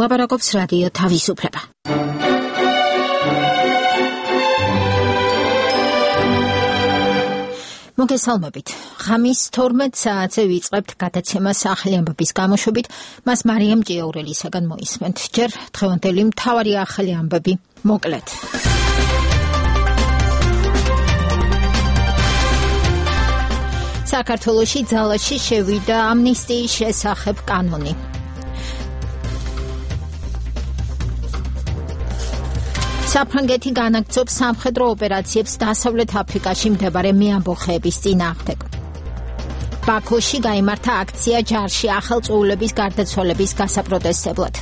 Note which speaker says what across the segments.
Speaker 1: ლაპარაკობს რადიო თავისუფლება. მოგესალმებით. ღამის 12 საათზე ვიწყებთ გადაცემას ახალი ამბების გამოშვებით. მას მარიამ ჭიაურელისაგან მოისმენთ. ჯერ დღევანდელი მთავარი ახალი ამბები მოკლედ. საქართველოში ძალაში შევიდა ამნისტიის შესახებ კანონი. საფრანგეთი განაგრძობს სამხედრო ოპერაციებს დასავლეთ აფრიკაში მდებარე მეამბოხეების წინააღმდეგ. ბაქოში გაიმართა აქცია ჯარში ახალწოულების გარდაცვალების გასაპროტესტებლად.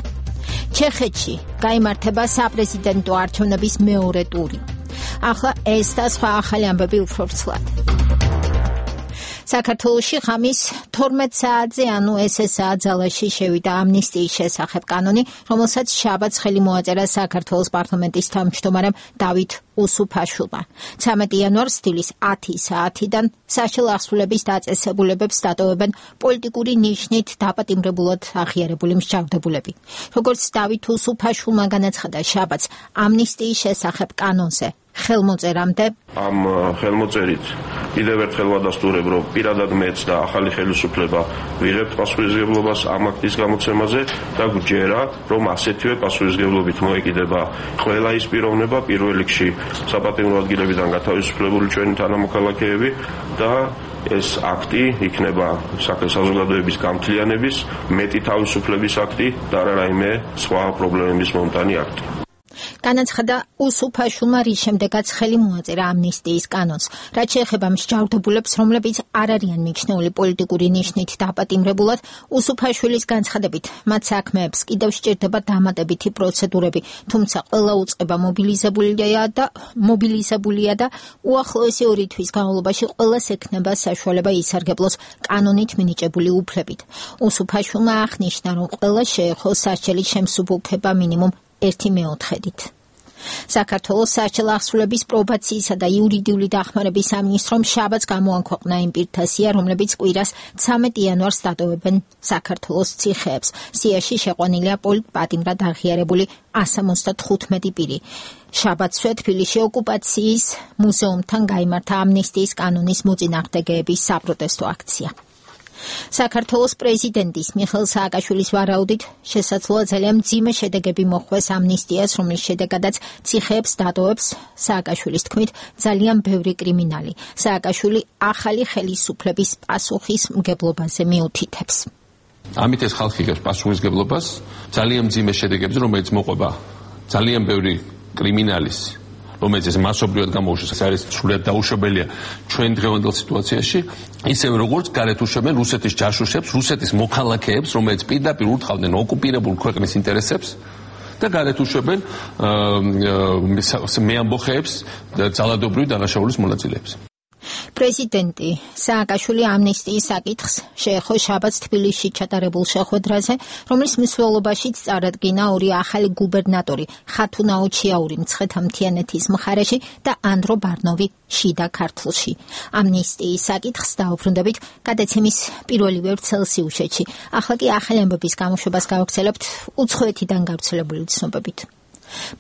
Speaker 1: ჩეხეთში გაიმართება საპრეზიდენტო არჩევნების მეორე ტური. ახლა ეს და სხვა ახალი ამბები უფრო ვრცლად. საქართველოში ღამის 12 საათზე, ანუ SSA ძალაში შევიდა ამნისტიის შესახებ კანონი, რომელსაც შაბათს ხელი მოაწერა საქართველოს პარლამენტის თავმჯდომარემ დავით უსუფაშვილმა. 13 იანვარს დილის 10 საათიდან საშინაო აღსრულების დაწესებულებებს დატოვებენ პოლიტიკური ნიშნით დაპატიმრებულად აღიარებული მსჯავრდებულები. როგორც დავით უსუფაშვილმა განაცხადა შაბათს ამნისტიის შესახებ კანონზე ხელმოწერამდე
Speaker 2: ამ ხელმოწერით კიდევ ერთხელ ვადასტურებ, რომ პირადად მეც და ახალი ხელისუფლება ვიღებთ პასუხისმგებლობას ამ აქტის გამოცემაზე და გვჯერა, რომ ასეთივე პასუხისმგებლობით მოეკიდება ყველა ის პიროვნება, პირველ რიგში საპატიმრო ადგილებიდან გათავისუფლებული ჩვენი თანამოქალაქეები და ეს აქტი იქნება საზოგადოების გამთლიანების, მეტი თავისუფლების აქტი და არა რაიმე სხვა პრობლემების მომტანი აქტი.
Speaker 1: განაცხადა უსუფაშვილმა, რის შემდეგაც ხელი მოაწერა ამნისტიის კანონს. რაც შეეხება მსჯავრდებულებს, რომლებიც არ არიან მიჩნეული პოლიტიკური ნიშნით დაპატიმრებულად, უსუფაშვილის განცხადებით, მათ საქმეებს კიდევ სჭირდება დამატებითი პროცედურები, თუმცა ყველა უწყება მობილიზებულია და უახლოესი 2 თვის განმავლობაში ყველას ექნება საშუალება ისარგებლოს კანონით მინიჭებული უფლებით. უსუფაშვილმა აღნიშნა, რომ ყველა შეეხოს სასჯელის შემსუბუქება მინიმუმ 1/4-ით. საქართველოს საშინაო აღსრულების პრობაციისა და იურიდიული დახმარების სამინისტრომ შაბათს გამოაქვეყნა იმ პირთა სია, რომლებიც კვირას 13 იანვარს დატოვებენ საქართველოს ციხეებს. სიაში შეყვანილია პოლიტპატიმრად აღიარებული 175 პირი. შაბათსვე თბილისში ოკუპაციის მუზეუმთან გაიმართა ამნისტიის კანონის მოწინააღმდეგეების საპროტესტო აქცია. საქართველოს პრეზიდენტის მიხეილ სააკაშვილის ვარაუდით შესაძლოა ძალიან მძიმე შედეგები მოხვდეს ამნისტიას, რომლის შედეგადაც ციხეებს დატოვებს სააკაშვილის თქმით ძალიან ბევრი კრიმინალი. სააკაშვილი ახალი ხელისუფლების პასუხისმგებლობაზე მიუთითებს.
Speaker 3: ამით ეს ხალხი იღებს პასუხისმგებლობას ძალიან მძიმე შედეგებზე, რომელიც მოყვება ძალიან ბევრი კრიმინალის, რომელიც ეს მასობრივად გამოუშვეს, ეს არის სრულიად დაუშვებელია ჩვენ დღევანდელ სიტუაციაში, ისევე როგორც გარეთ უშვებენ რუსეთის ჯაშუშებს, რუსეთის მოქალაქეებს, რომელიც პირდაპირ ურტყავდნენ ოკუპირებულ ქვეყნის ინტერესებს და გარეთ უშვებენ მეამბოხეებს და ძალადობრივი დანაშაულის მონაწილეებს.
Speaker 1: პრეზიდენტი სააკაშვილი ამნისტიის საკითხს შეეხო შაბათს თბილისში ჩატარებულ შეხვედრაზე, რომლის მსვლელობაშიც წარადგინა 2 ახალი გუბერნატორი, ხათუნაო ჩიაური მცხეთა-მთიანეთის მხარეში და ანდრო ბარნოვი შიდა ქართლში. ამნისტიის საკითხს დაუბრუნდებით გადაცემის პირველი ვერცხლსიუჟეტში. ახლა კი ახალი ამბების გამოშვებას გავაგრძელებთ უცხოეთიდან გავრცელებული ცნობებით.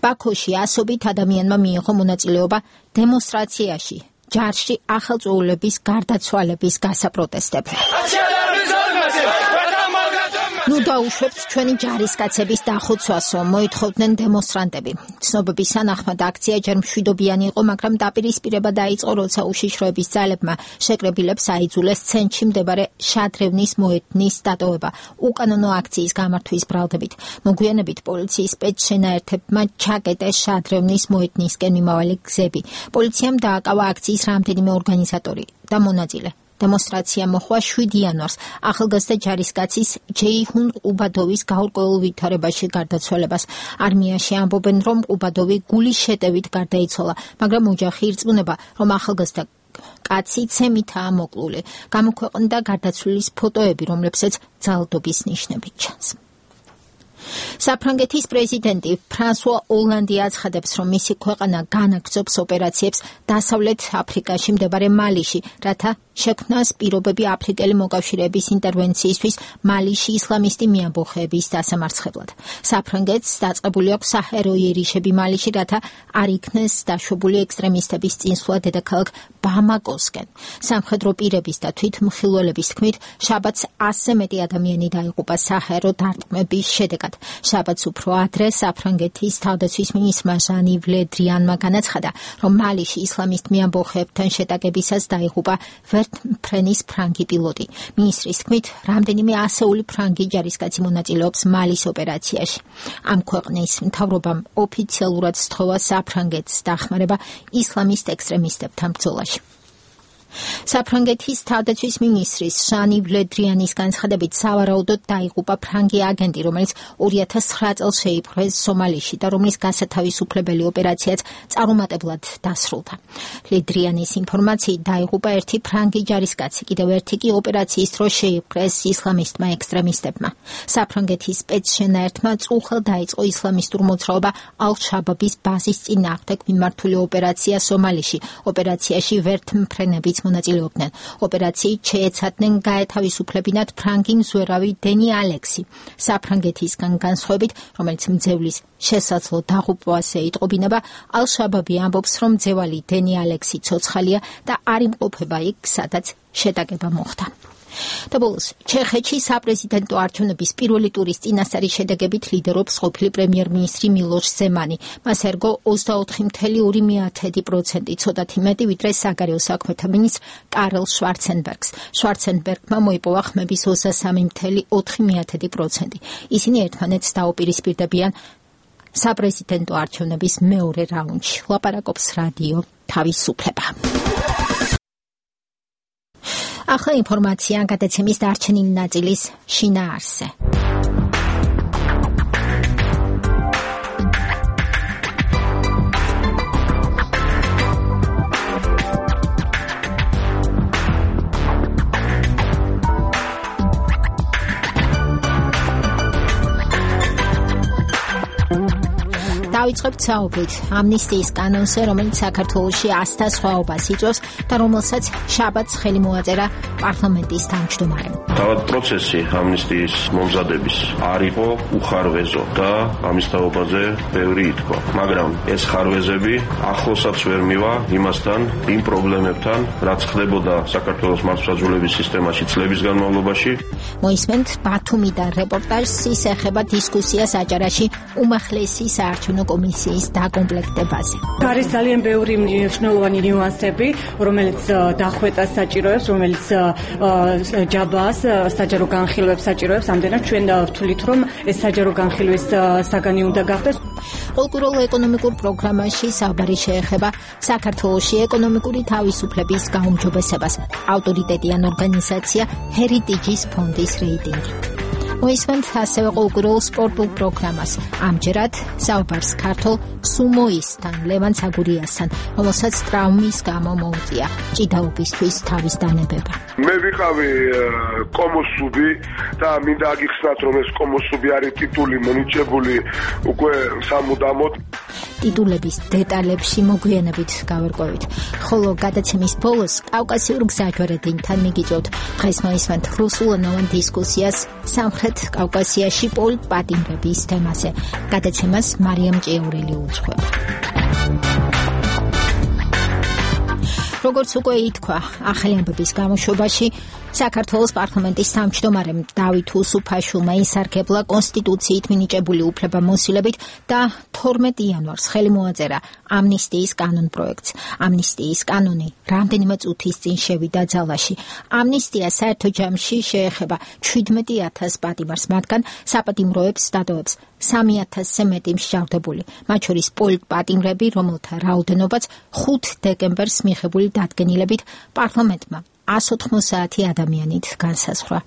Speaker 1: ბაქოში ასობით ადამიანმა მიიღო მონაწილეობა დემონსტრაციაში ჯარში ახალწოულების გარდაცვალების გასაპროტესტებლად. ნუ დაუშვებთ ჩვენი ჯარისკაცების დახოცვასო, მოითხოვდნენ დემონსტრანტები. ცნობების თანახმად აქცია ჯერ მშვიდობიანი იყო, მაგრამ დაპირისპირება დაიწყო, როცა უშიშროების ძალებმა შეკრებილებს აიძულეს ცენტრში მდებარე შადრევნის მოედნის დატოვება. უკანონო აქციის გამართვის ბრალდებით მოგვიანებით პოლიციის სპეცშენაერთებმა ჩაკეტეს შადრევნის მოედნისკენ მიმავალი გზები. პოლიციამ დააკავა აქციის რამდენიმე ორგანიზატორი და მონაწილე. დემონსტრაცია მოხდა 7 იანვარს ახალგაზრდა ჯარისკაცის ჯეიჰუნ ყუბადოვის გაურკვეველ ვითარებაში გარდაცვალებას. არმიაში ამბობენ, რომ ყუბადოვი გულის შეტევით გარდაიცვალა, მაგრამ ოჯახი ირწმუნება, რომ ახალგაზრდა კაცი ცემითაა მოკლული. გამოქვეყნდა გარდაცვლილის ფოტოები, რომლებსაც ძალადობის ნიშნები ჩანს. საფრანგეთის პრეზიდენტი ფრანსუა ოლანდი აცხადებს, რომ მისი ქვეყანა განაგრძობს ოპერაციებს დასავლეთ აფრიკაში მდებარე მალიში, რათა შექმნას პირობები აფრიკელი მოკავშირეების ინტერვენციისთვის მალიში ისლამისტი მიამბოხეების დასამარცხებლად. საფრანგეთს დაწყებული აქვს საჰაერო იერიშები მალიში, რათა არ იქნეს დაშვებული ექსტრემისტების წინსვლა დედაქალაქ ბამაკოსკენ. სამხედრო პირების და თვითმხილველების თქმით, შაბათს 100-ზე მეტი ადამიანი დაიღუპა საჰაერო დარტყმების შედეგად. შაბათს უფრო ადრე საფრანგეთის თავდაცვის მინისტრმა ჟანი ვლე დრიანმა განაცხადა, რომ მალიში ისლამისტ მიამბოხეებთან შეტაკებისას დაიღუპა ვერტმფრენის ფრანგი პილოტი. მინისტრის თქმით, რამდენიმე ასეული ფრანგი ჯარისკაცი მონაწილეობს მალის ოპერაციაში. ამ ქვეყნის მთავრობამ ოფიციალურად სთხოვა საფრანგეთს დახმარება ისლამისტ ექსტრემისტებთან ბრძოლაში. საფრანგეთის თავდაცვის მინისტრის ჟანი ვლე დრიანის განცხადებით, სავარაუდოდ დაიღუპა ფრანგი აგენტი, რომელიც 2009 წელს შეიპყრეს სომალიში და რომლის გასათავისუფლებელი ოპერაციაც წარუმატებლად დასრულდა. ვლე დრიანის ინფორმაციით დაიღუპა ერთი ფრანგი ჯარისკაცი, კიდევ ერთი კი ოპერაციის დროს შეიპყრეს ისლამისტმა ექსტრემისტებმა. საფრანგეთის სპეცშენაერთმა წუხელ დაიწყო ისლამისტურ მოძრაობა ალ-შაბაბის ბაზის წინააღმდეგ მიმართული ოპერაცია სომალიში. ოპერაციაში ვერტმფრენებიც მონაწილეობდნენ. ოპერაციით შეეცადნენ გაეთავისუფლებინათ ფრანგი მზვერავი დენი ალექსი. საფრანგეთისგან განსხვავებით, რომელიც მძევლის შესაძლო დაღუპვას ეიტყობინება, ალ-შაბაბი ამბობს, რომ მძევალი დენი ალექსი ცოცხალია და არ იმყოფება იქ, სადაც შეტაკება მოხდა. და ბოლოს, ჩეხეთში საპრეზიდენტო არჩევნების პირველი ტურის წინასწარი შედეგებით ლიდერობს ყოფილი პრემიერ-მინისტრი მილოშ ზემანი. მას ერგო 24.2%, ცოტათი მეტი ვიდრე საგარეო საქმეთა მინისტრ კარლ შვარცენბერგს. შვარცენბერგმა მოიპოვა ხმების 23.4%. ისინი ერთმანეთს დაუპირისპირდებიან საპრეზიდენტო არჩევნების მეორე რაუნდში. ლაპარაკობს რადიო თავისუფლება. ახლა ინფორმაცია გადაცემის დარჩენილი ნაწილის შინაარსზე. დავიწყებთ საუბრით ამნისტიის კანონზე, რომელიც საქართველოში 100-თა სხვაობას იწვევს და რომელსაც შაბათს ხელი მოაწერა პარლამენტის თავმჯდომარემ.
Speaker 2: თავად პროცესი ამნისტიის მომზადების არ იყო უხარვეზო და ამის თაობაზე ბევრი ითქვა. მაგრამ ეს ხარვეზები ახლოსაც ვერ მივა იმასთან, იმ პრობლემებთან, რაც ხდებოდა საქართველოს მართლმსაჯულების სისტემაში წლების განმავლობაში.
Speaker 1: მოისმენთ ბათუმიდან რეპორტაჟს, ის ეხება დისკუსიას აჭარაში უმაღლესი საარჩევნო კომისიის დაკომპლექტებაზე.
Speaker 4: არის ძალიან ბევრი მნიშვნელოვანი ნიუანსები, რომელიც დახვეწას საჭიროებს, რომელიც ჯაბას საჯარო განხილვებს საჭიროებს. ამდენად ჩვენ ვთვლით, რომ ეს საჯარო განხილვის საგანი უნდა გახდეს.
Speaker 1: პოლიტიკურ ეკონომიკურ პროგრამაში საუბარი შეეხება საქართველოში ეკონომიკური თავისუფლების გაუმჯობესებას. ავტორიტეტიან ორგანიზაცია ჰერიტიჯის ფონდის რეიტინგი. მოისმენთ ასევე ყოველკვირეულ სპორტულ პროგრამას. ამჯერად საუბარს ქართულ სუმოისტთან, ლევან ცაგურიასთან, რომელსაც ტრავმის გამო მოუწია ჭიდაობისთვის თავის დანებება.
Speaker 5: მე ვიყავი კომოსუბი და მინდა აგიხსნათ, რომ ეს კომოსუბი არის ტიტული მონიჭებული უკვე სამუდამოდ.
Speaker 1: ტიტულების დეტალებში მოგვიანებით გავერკვევით. ხოლო გადაცემის ბოლოს კავკასიურ გზაჯვარედინთან მიგიწევთ. დღეს მოისმენთ რუსულენოვან დისკუსიას სამხრეთ კავკასიაში პოლიტპატიმრების თემაზე. გადაცემას მარიამ ჭიაურელი უძღვება. როგორც უკვე ითქვა, ახალი ამბების გამოშვებაში საქართველოს პარლამენტის თავმჯდომარემ დავით უსუფაშვილმა ისარგებლა კონსტიტუციით მინიჭებული უფლებამოსილებით და 12 იანვარს ხელი მოაწერა ამნისტიის კანონპროექტს. ამნისტიის კანონი რამდენიმე წუთის წინ შევიდა ძალაში. ამნისტია საერთო ჯამში შეეხება 17,000 პატიმარს, მათგან საპატიმროებს დადოებს 3,000-ზე მეტი მსჯავრდებული, მათ შორის პოლიტპატიმრები, რომელთა რაოდენობაც 5 დეკემბერს მიღებული დადგენილებით პარლამენტმა 190 ადამიანით განსაზღვრა.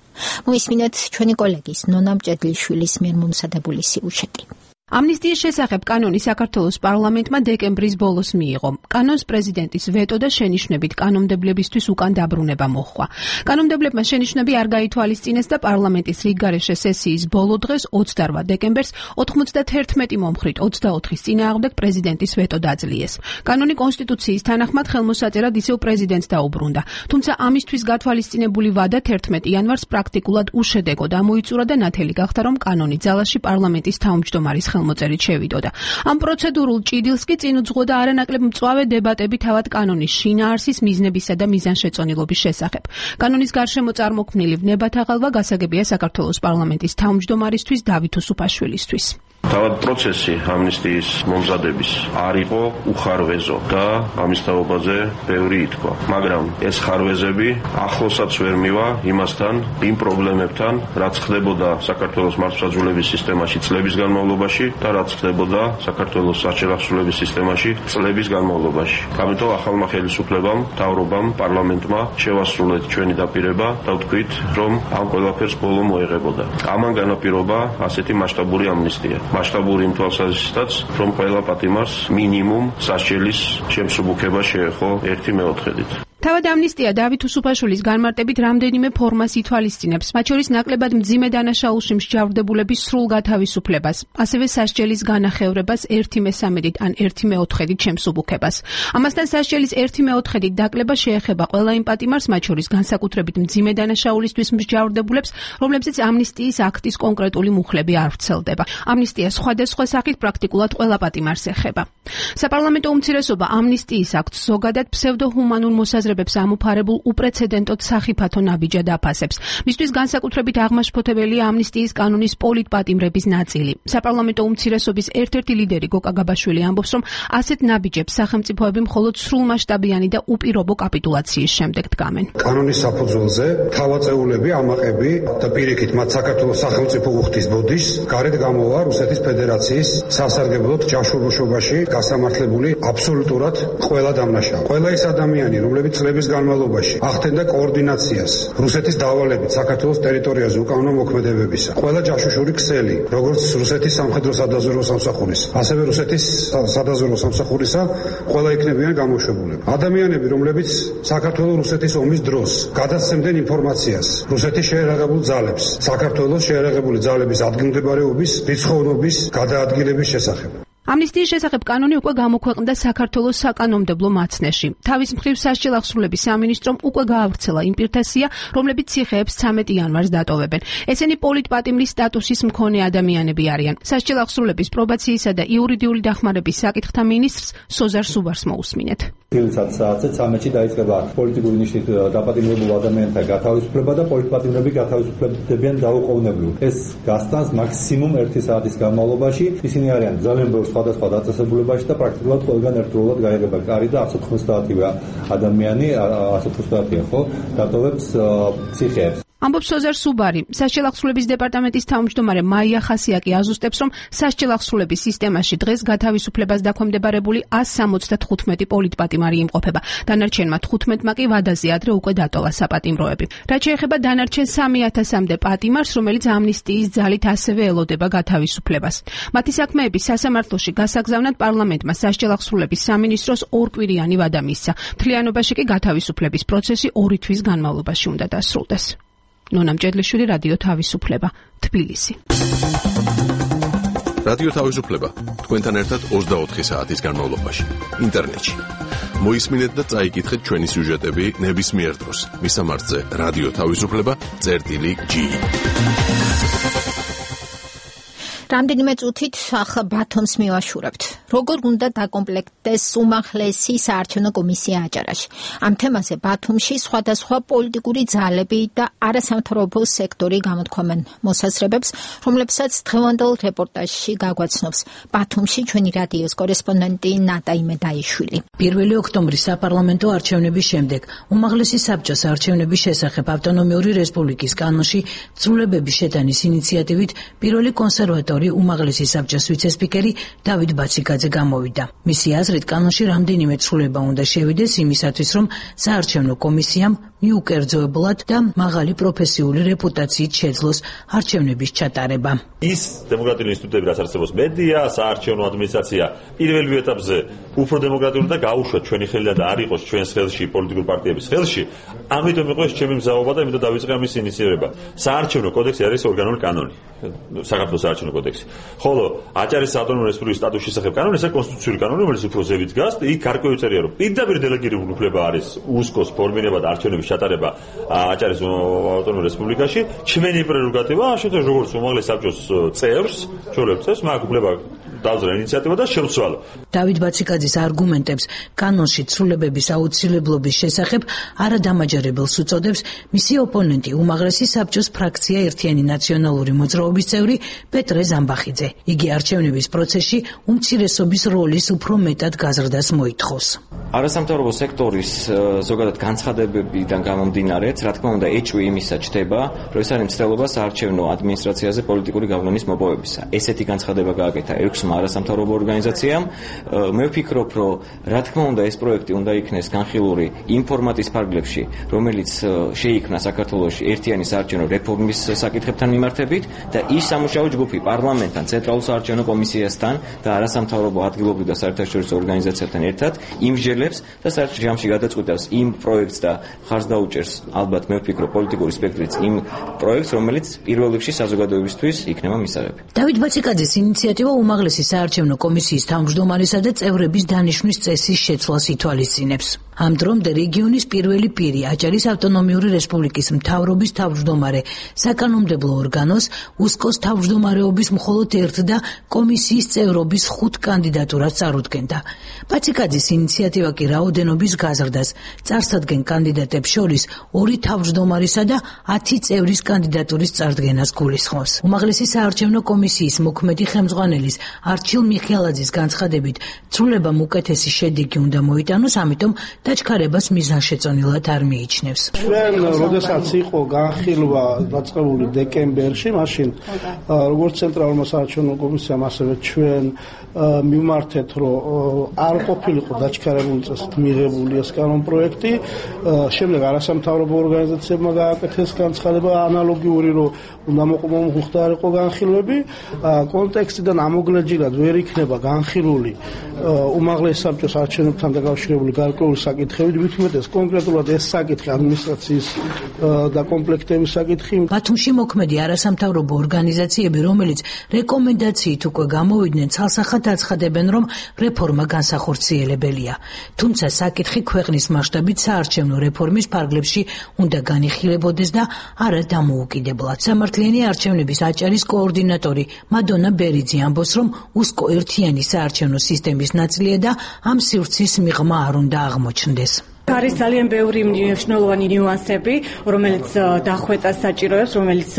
Speaker 1: მოისმინეთ ჩვენი კოლეგის ნონა მჭედლიშვილის მიერ მომზადებული სიუჟეტი.
Speaker 6: ამნისტიის შესახებ კანონი საქართველოს პარლამენტმა დეკემბრის ბოლოს მიიღო. კანონს პრეზიდენტის ვეტო და შენიშვნებით კანონმდებლებისთვის უკან დაბრუნება მოჰყვა. კანონმდებლებმა შენიშვნები არ გაითვალისწინეს და პარლამენტის რიგგარეშე სესიის ბოლო დღეს 28 დეკემბერს 91 მომხრით 24-ის წინააღმდეგ პრეზიდენტის ვეტო დაძლიეს. კანონი კონსტიტუციის თანახმად ხელმოსაწერად ისევ პრეზიდენტს დაუბრუნდა. თუმცა ამისთვის გათვალისწინებული ვადა 11 იანვარს პრაქტიკულად უშედეგო გამოიწურა და ნათელი გახდა, რომ კანონი ძალაში პარლამენტის თავმჯდომარის ხელმოწერით შევიდოდა. ამ პროცედურულ ჭიდილს კი წინ უძღვოდა არანაკლებ მწვავე დებატები თავად კანონის შინაარსის მიზნებისა და მიზანშეწონილობის შესახებ. კანონის გარშემო წარმოქმნილი ვნებათაღალვა გასაგებია საქართველოს პარლამენტის თავმჯდომარისთვის დავით უსუფაშვილისთვის.
Speaker 2: თავად პროცესი ამნისტიის მომზადების არ იყო უხარვეზო და ამის თაობაზე ბევრი ითქვა. მაგრამ ეს ხარვეზები ახლოსაც ვერ მივა იმასთან, იმ პრობლემებთან, რაც ხდებოდა საქართველოს მართლმსაჯულების სისტემაში წლების განმავლობაში და რაც ხდებოდა საქართველოს საჩელახსრულების სისტემაში წლების განმავლობაში. ამიტომ ახალმა ხელისუფლებამ, მთავრობამ, პარლამენტმა შევასრულეთ ჩვენი დაპირება და ვთქვით, რომ ამ ყველაფერს ბოლო მოეღებოდა. ამან განაპირობა ასეთი მასშტაბური ამნისტია. მასშტაბური იმ თვალსაზრისითაც, რომ ყველა პატიმარს მინიმუმ სასჯელის შემსუბუქება შეეხო 1/4-ით.
Speaker 6: თავად ამნისტია დავით უსუფაშვილის განმარტებით რამდენიმე ფორმას ითვალისწინებს, მათ შორის ნაკლებად მძიმე დანაშაულში მსჯავრდებულების სრულ გათავისუფლებას, ასევე სასჯელის განახევრებას 1/3-ით ან 1/4-ით შემსუბუქებას. ამასთან სასჯელის 1/4-ით დაკლება შეეხება ყველა იმ პატიმარს, მათ შორის განსაკუთრებით მძიმე დანაშაულისთვის მსჯავრდებულებს, რომლებზეც ამნისტიის აქტის კონკრეტული მუხლები არ ვრცელდება. ამნისტია სხვადასხვა სახით პრაქტიკულად ყველა პატიმარს ეხება. საპარლამენტო უმცირესობა ამნისტიის აქტს ზოგადად ფსევდოჰუმანურ მოსაზრებებს ამოფარებულ უპრეცედენტოდ სახიფათო ნაბიჯად აფასებს. მისთვის განსაკუთრებით აღმაშფოთებელია ამნისტიის კანონის პოლიტპატიმრების ნაწილი. საპარლამენტო უმცირესობის ერთ-ერთი ლიდერი გოკა გაბაშვილი ამბობს, რომ ასეთ ნაბიჯებს სახელმწიფოები მხოლოდ სრულმასშტაბიანი და უპირობო კაპიტულაციის შემდეგ დგამენ.
Speaker 7: კანონის საფუძველზე თავაწეულები, ამაყები და პირიქით მათ საქართველოს სახელმწიფო უხდის ბოდიშს გარეთ გამოვა რუსეთის ფედერაციის სასარგებლოდ ჯაშურულობაში გასამართლებული აბსოლუტურად ყველა დამნაშავე. ყველა ის ადამიანი, რომლებიც წლების განმავლობაში ახდენდა კოორდინაციას რუსეთის დავალებით საქართველოს ტერიტორიაზე უკანონო მოქმედებებისა. ყველა ჯაშუშური ქსელი, როგორც რუსეთის სამხედრო სადაზვერვო სამსახურის, ასევე რუსეთის სადაზვერვო სამსახურისა, ყველა იქნებიან გამოშვებულები. ადამიანები, რომლებიც საქართველოს რუსეთის ომის დროს გადასცემდნენ ინფორმაციას რუსეთის შეერაღებულ ძალებს, საქართველოს შეერაღებული ძალების ადგილმდებარეობის, რიცხოვნობის გადაადგილების შესახებ.
Speaker 6: ამნისტიის შესახებ კანონი უკვე გამოქვეყნდა საქართველოს საკანონმდებლო მაცნეში. თავის მხრივ სასჯელახსრულების სამინისტრომ უკვე გაავრცელა იმ პირთა სია, რომლებიც ციხეებს 13 იანვარს დატოვებენ. ესენი პოლიტპატიმრის სტატუსის მქონე ადამიანები არიან. სასჯელახსრულების პრობაციისა და იურიდიული დახმარების საკითხთა მინისტრს სოზარ სუბარს მოусმინეთ.
Speaker 8: საათზე 13-ში დაიწყება პოლიტიკური ნიშნით დაპატიმრებულ ადამიანთა გათავისუფლება და პოლიტპატიმრები გათავისუფლებდებიან დაუყოვნებლივ. ეს გასტანს მაქსიმუმ 1 საათის განმავლობაში. ისინი არიან ძალიან ბევრ სხვადასხვა დაწესებულებაში და პრაქტიკულად ყველგან ერთდროულად გაიღება კარი და 190 ადამიანი, 190-ია ხო, დატოვებს ციხეებს.
Speaker 6: ამბობს სოზარ სუბარი. სასჯელახსრულების დეპარტამენტის თავმჯდომარე მაია ხასიაკი აზუსტებს, რომ სასჯელახსრულების სისტემაში დღეს გათავისუფლებას დაქვემდებარებული 175 პოლიტპატიმარი იმყოფება. დანარჩენმა 15-მა კი ვადაზე ადრე უკვე დატოვა საპატიმროები. რაც შეეხება დანარჩენ 3000-მდე პატიმარს, რომელიც ამნისტიის ძალით ასევე ელოდება გათავისუფლებას. მათი საქმეების სასამართლოში გასაგზავნად პარლამენტმა სასჯელახსრულების სამინისტროს ორკვირიანი ვადა მისცა. მთლიანობაში კი გათავისუფლების პროცესი 2 თვის განმავლობაში უნდა დასრულდეს. ნონა მჭედლიშვილი, რადიო თავისუფლება, თბილისი.
Speaker 9: რადიო თავისუფლება თქვენთან ერთად 24 საათის განმავლობაში ინტერნეტში. მოისმინეთ და წაიკითხეთ ჩვენი სიუჟეტები ნებისმიერ დროს. მისამართზე რადიო თავისუფლება.g.
Speaker 1: რამდენიმე წუთით ახლა ბათუმს მივაშურებთ. როგორ უნდა დაკომპლექტდეს უმაღლესი საარჩევნო კომისია აჭარაში? ამ თემაზე ბათუმში სხვადასხვა პოლიტიკური ძალები და არასამთავრობო სექტორი გამოთქვამენ მოსაზრებებს, რომლებსაც დღევანდელ რეპორტაჟში გაგვაცნობს ბათუმში ჩვენი რადიოს კორესპონდენტი ნატა იმედაიშვილი.
Speaker 10: 1 ოქტომბრის საპარლამენტო არჩევნების შემდეგ უმაღლესი საბჭოს არჩევნების შესახებ ავტონომიური რესპუბლიკის კანონში ცვლილებების შეტანის ინიციატივით პირველი კონსერვატორი უმაღლესი საბჭოს ვიცე-სპიკერი დავით ბაციკაძე ბაციკაძე გამოვიდა. მისი აზრით, კანონში რამდენიმე ცვლილება უნდა შევიდეს იმისათვის, რომ საარჩევნო კომისიამ მიუკერძოებლად და მაღალი პროფესიული რეპუტაციით შეძლოს არჩევნების ჩატარება.
Speaker 11: ის დემოკრატიული ინსტიტუტები, რაც არსებობს მედია, საარჩევნო ადმინისტრაცია პირველ ეტაპზე უფრო დემოკრატიული და გაუშვათ ჩვენი ხელიდან და არ იყოს ჩვენს ხელში პოლიტიკური პარტიების ხელში. ამიტომ იყო ეს ჩემი მზაობა და იმედად დავიწყე ამის ინიციირება. საარჩევნო კოდექსი არის ორგანული კანონი. საქართველოს საარჩევნო კოდექსი. ხოლო აჭარის ავტონომიური რესპუბლიკის სტატუსის შესახებ კანონი, ეს კონსტიტუციური კანონი, რომელიც უფრო ზევით დგას, იქ გარკვეული წერია, რომ პირდაპირ დელეგირებული უფლება არის უსკოს ფორმირება და არჩევნების ჩატარება აჭარის ავტონომურ რესპუბლიკაში. ჩვენი პრეროგატივა, შეთქვათ, როგორც უმაღლეს საბჭოს წევრს, ჩვეულებრივ წევრს, მაგ უფლება დავზრა ინიციატივა და შევცვალო.
Speaker 10: დავით ბაციკაძის არგუმენტებს კანონში ცვლილებების აუცილებლობის შესახებ არადამაჯერებელს უწოდებს მისი ოპონენტი, უმაღლესი საბჭოს ფრაქცია ერთიანი ნაციონალური მოძრაობის წევრი პეტრე ზამბახიძე. იგი არჩევნების პროცესში უმცირესობის როლის უფრო მეტად გაზრდას მოითხოვს.
Speaker 12: არასამთავრობო სექტორის ზოგადად განცხადებებიდან გამომდინარეც, რა თქმა უნდა, ეჭვი იმისა ჩდება, რომ ეს არის მცდელობა საარჩევნო ადმინისტრაციაზე პოლიტიკური გავლენის მოპოვებისა. ესეთი განცხადება გააკეთა 6-მა არასამთავრობო ორგანიზაციამ. მე ვფიქრობ, რომ რა თქმა უნდა, ეს პროექტი უნდა იქნეს განხილული იმ ფორმატის ფარგლებში, რომელიც შეიქმნა საქართველოში ერთიანი საარჩევნო რეფორმის საკითხებთან მიმართებით და ის სამუშაო ჯგუფი პარლამენტთან, ცენტრალურ საარჩევნო კომისიასთან და არასამთავრობო ადგილობრივ და საერთაშორისო ორგანიზაციებთან ერთად იმსჯელებს და საერთო ჯამში გადაწყვეტავს იმ პროექტს და ხარს დაუჭერს ალბათ მე ვფიქრობ პოლიტიკური სპექტრიც იმ პროექტს, რომელიც პირველ რიგში საზოგადოებისთვის იქნება მისაღები.
Speaker 10: დავით ბაციკაძის ინიციატივა უმაღლესი საარჩევნო კომისიის თავმჯდომარისა და წევრების დანიშვნის წესის შეცვლას ითვალისწინებს. ამ დრომდე რეგიონის პირველი პირი, აჭარის ავტონომიური რესპუბლიკის მთავრობის თავმჯდომარე, საკანონმდებლო ორგანოს, უსკოს თავმჯდომარეობის მხოლოდ ერთ და კომისიის წევრობის 5 კანდიდატურას წარუდგენდა. ბაციკაძის ინიციატივა კი რაოდენობის გაზრდას, წარსადგენ კანდიდატებს შორის 2 თავმჯდომარისა და 10 წევრის კანდიდატურის წარდგენას გულისხმობს. უმაღლესი საარჩევნო კომისიის მოქმედი ხელმძღვანელის არჩილ მიხეილაძის განცხადებით, ცვლილებამ უკეთესი შედეგი უნდა მოიტანოს, ამიტომ დაჩქარებას მიზანშეწონილად არ მიიჩნევს.
Speaker 13: ჩვენ როდესაც იყო განხილვა დაწყებული დეკემბერში, მაშინ როგორც ცენტრალურმა საარჩევნო კომისიამ, ასევე ჩვენ მიმართეთ, რომ არ ყოფილიყო დაჩქარებული წესით მიღებული ეს კანონპროექტი. შემდეგ არასამთავრობო ორგანიზაციებმა გააკეთეს განცხადება ანალოგიური, რომ უნდა მომხდარიყო განხილვები. კონტექსტიდან ამოგლეჯილად ვერ იქნება განხილული უმაღლეს საბჭოს არჩევნებთან დაკავშირებული გარკვეული საკითხები, მithumetes კონკრეტულად ეს საკითხი ადმინისტრაციის და კომპლექტების საკითხი.
Speaker 10: ბათუმში მოქმედი არასამთავრობო ორგანიზაციები, რომელიც რეკომენდაციით უკვე გამოვიდნენ, ცალსახად აცხადებენ, რომ რეფორმა განსახორციელებელია. თუმცა საკითხი ქვეყნის მასშტაბით საარჩევნო რეფორმის ფარგლებში უნდა განიხილებოდეს და არა დამოუკიდებლად. სამართლიანი არჩევნების აჭარის კოორდინატორი მადონა ბერიძე ამბობს, რომ უსკო ერთიანი საარჩევნო სისტემის ნაწილია და ამ სივრცის მიღმა არ უნდა აღმოჩნდეს.
Speaker 4: არის ძალიან ბევრი მნიშვნელოვანი ნიუანსები, რომელიც დახვეწას საჭიროებს, რომელიც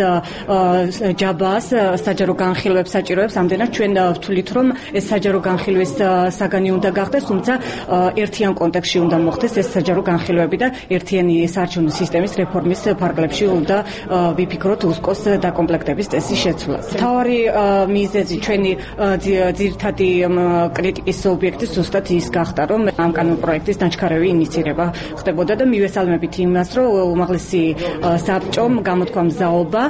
Speaker 4: ჯაბას, საჯარო განხილვებს საჭიროებს. ამდენად ჩვენ ვთვლით, რომ ეს საჯარო განხილვის საგანი უნდა გახდეს, თუმცა ერთიან კონტექსტში უნდა მოხდეს ეს საჯარო განხილვები და ერთიანი საარჩევნო სისტემის რეფორმის ფარგლებში უნდა ვიფიქროთ უსკოს დაკომპლექტების წესის შეცვლას. მთავარი მიზეზი ჩვენი ძირითადი კრიტიკის ობიექტი ზუსტად ის გახდა, რომ ამ კანონპროექტის დაჩქარება ინიცირება ხდებოდა და მივესალმებით იმას, რომ უმაღლესი საბჭომ გამოთქვა მზაობა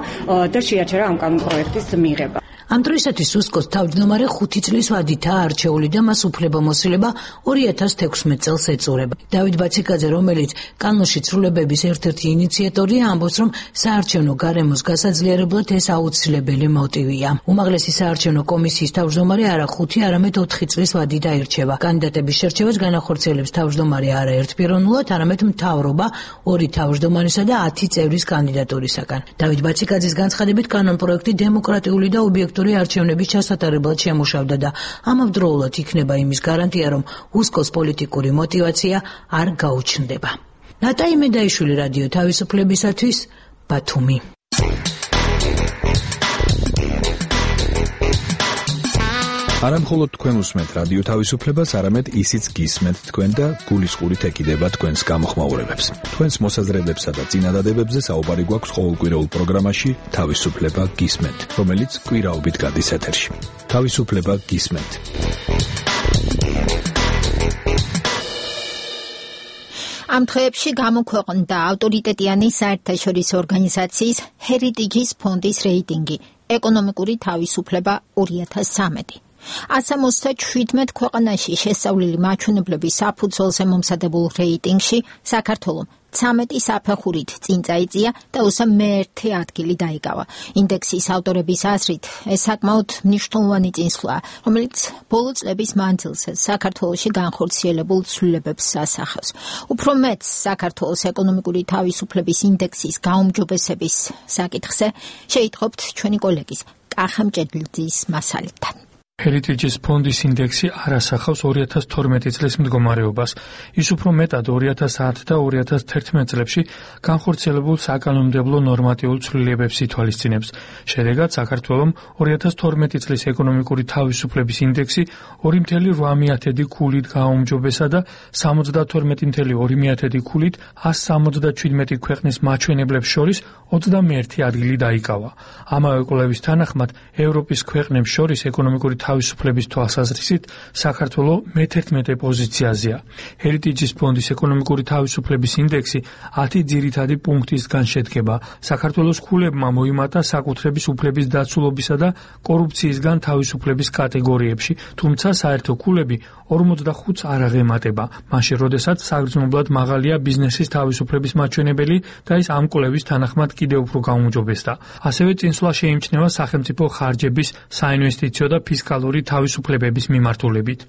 Speaker 4: და შეაჩერა ამ კანონპროექტის მიღება.
Speaker 10: ამ დროისათვის უსკოს თავმჯდომარე 5 წლის ვადითაა არჩეული და მას უფლებამოსილება 2016 წელს ეწურება. დავით ბაციკაძე, რომელიც კანონში ცვლილებების ერთ-ერთი ინიციატორია, ამბობს, რომ საარჩევნო გარემოს გასაძლიერებლად ეს აუცილებელი მოტივია. უმაღლესი საარჩევნო კომისიის თავმჯდომარე არა 5, არამედ 4 წლის ვადით აირჩევა. კანდიდატების შერჩევას განახორციელებს თავმჯდომარე არა ერთპიროვნულად, არამედ მთავრობა 2 თავმჯდომარისა და 10 წევრის კანდიდატურისაგან. დავით ბაციკაძის განცხადებით, კანონპროექტი დემოკრატიული და ობიექტური არჩევნების ჩასატარებლად შემუშავდა და ამავდროულად იქნება იმის გარანტია, რომ უსკოს პოლიტიკური мотиваცია არ გაუჩნდება. ნატაი მედაიშვილი, რადიო თავისუფლებისათვის, ბათუმი.
Speaker 14: არა მხოლოდ თქვენ უსმენთ რადიო თავისუფლებას, არამედ ისიც გისმენთ თქვენ და გულისყურით ეკიდება თქვენს გამოხმაურებებს. თქვენს მოსაზრებებსა და წინადადებებზე საუბარი გვაქვს ყოველკვირეულ პროგრამაში თავისუფლება გისმენთ, რომელიც კვირაობით გადის ეთერში. თავისუფლება გისმენთ.
Speaker 1: ამ დღეებში გამოქვეყნდა ავტორიტეტიანი საერთაშორისო ორგანიზაციის Heritage ფონდის რეიტინგი ეკონომიკური თავისუფლება 2013. 177 ქვეყანაში შესწავლილი მაჩვენებლების საფუძველზე მომზადებულ რეიტინგში საქართველოს 13 საფეხურით წინ წაიწია და უსამ მე-1 ადგილი დაიკავა. ინდექსის ავტორების აზრით, ეს საკმაოდ მნიშვნელოვანი წინსვლაა, რომელიც ბოლო წლების მანძილზე საქართველოში განხორციელებულ ცვლილებებს ასახავს. უფრო მეტს საქართველოს ეკონომიკური თავისუფლების ინდექსის გაუმჯობესების საკითხზე შეიტყობთ ჩვენი კოლეგის კახა მჭედლიძის მასალიდან.
Speaker 15: Heritage ფონდის ინდექსი არ ასახავს 2012 წლის მდგომარეობას. ის უფრო მეტად 2010 და 2011 წლებში განხორციელებულ საკანონმდებლო ნორმატიულ ცვლილებებს ითვალისწინებს. შედეგად საქართველოს 2012 წლის ეკონომიკური თავისუფლების ინდექსი 2.8 ქულით გააუმჯობესა და 72.2 ქულით 177 ქვეყნის მაჩვენებლებს შორის 21 ადგილი დაიკავა. ამავე კვლევის თანახმად, ევროპის ქვეყნებს შორის ეკონომიკური თავისუფლების თვალსაზრისით საქართველოს მე-11 პოზიციაზეა. Heritage ფონდის ეკონომიკური თავისუფლების ინდექსი 10 ძირითადი პუნქტისგან შედგება. საქართველოს ქულებმა მოიმატა საკუთრების უფლების დაცულობისა და კორუფციისგან თავისუფლების კატეგორიებში, თუმცა საერთო ქულები 45-ს არ აღემატება. მაშინ, როდესაც საგრძნობლად მაღალია ბიზნესის თავისუფლების მაჩვენებელი და ის ამ კვლევის თანახმად კიდევ უფრო გაუმჯობესდა. ასევე წინსვლა შეიმჩნევა სახელმწიფო ხარჯების, საინვესტიციო და ფისკალური თავისუფლებების მიმართულებით.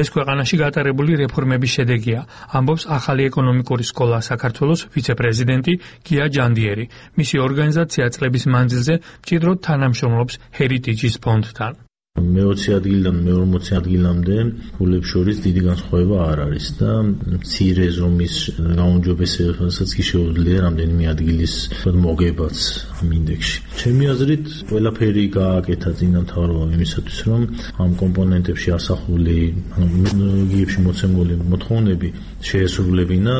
Speaker 15: ეს ქვეყანაში გატარებული რეფორმების შედეგია, ამბობს ახალი ეკონომიკური სკოლა საქართველოს ვიცე-პრეზიდენტი გია ჯანდიერი. მისი ორგანიზაცია წლების მანძილზე მჭიდროდ თანამშრომლობს Heritage ფონდთან.
Speaker 16: მე-20 ადგილიდან მე-40 ადგილამდე ქულებს შორის დიდი განსხვავება არ არის და მცირე ზომის გაუმჯობესებასაც კი შეუძლია რამდენიმე ადგილის მოგებაც ამ ინდექსში. ჩემი აზრით, ყველაფერი გააკეთა წინამთავრობამ იმისათვის, რომ ამ კომპონენტებში ასახული ტექნოლოგიებში მოცემული მოთხოვნები შეესრულებინა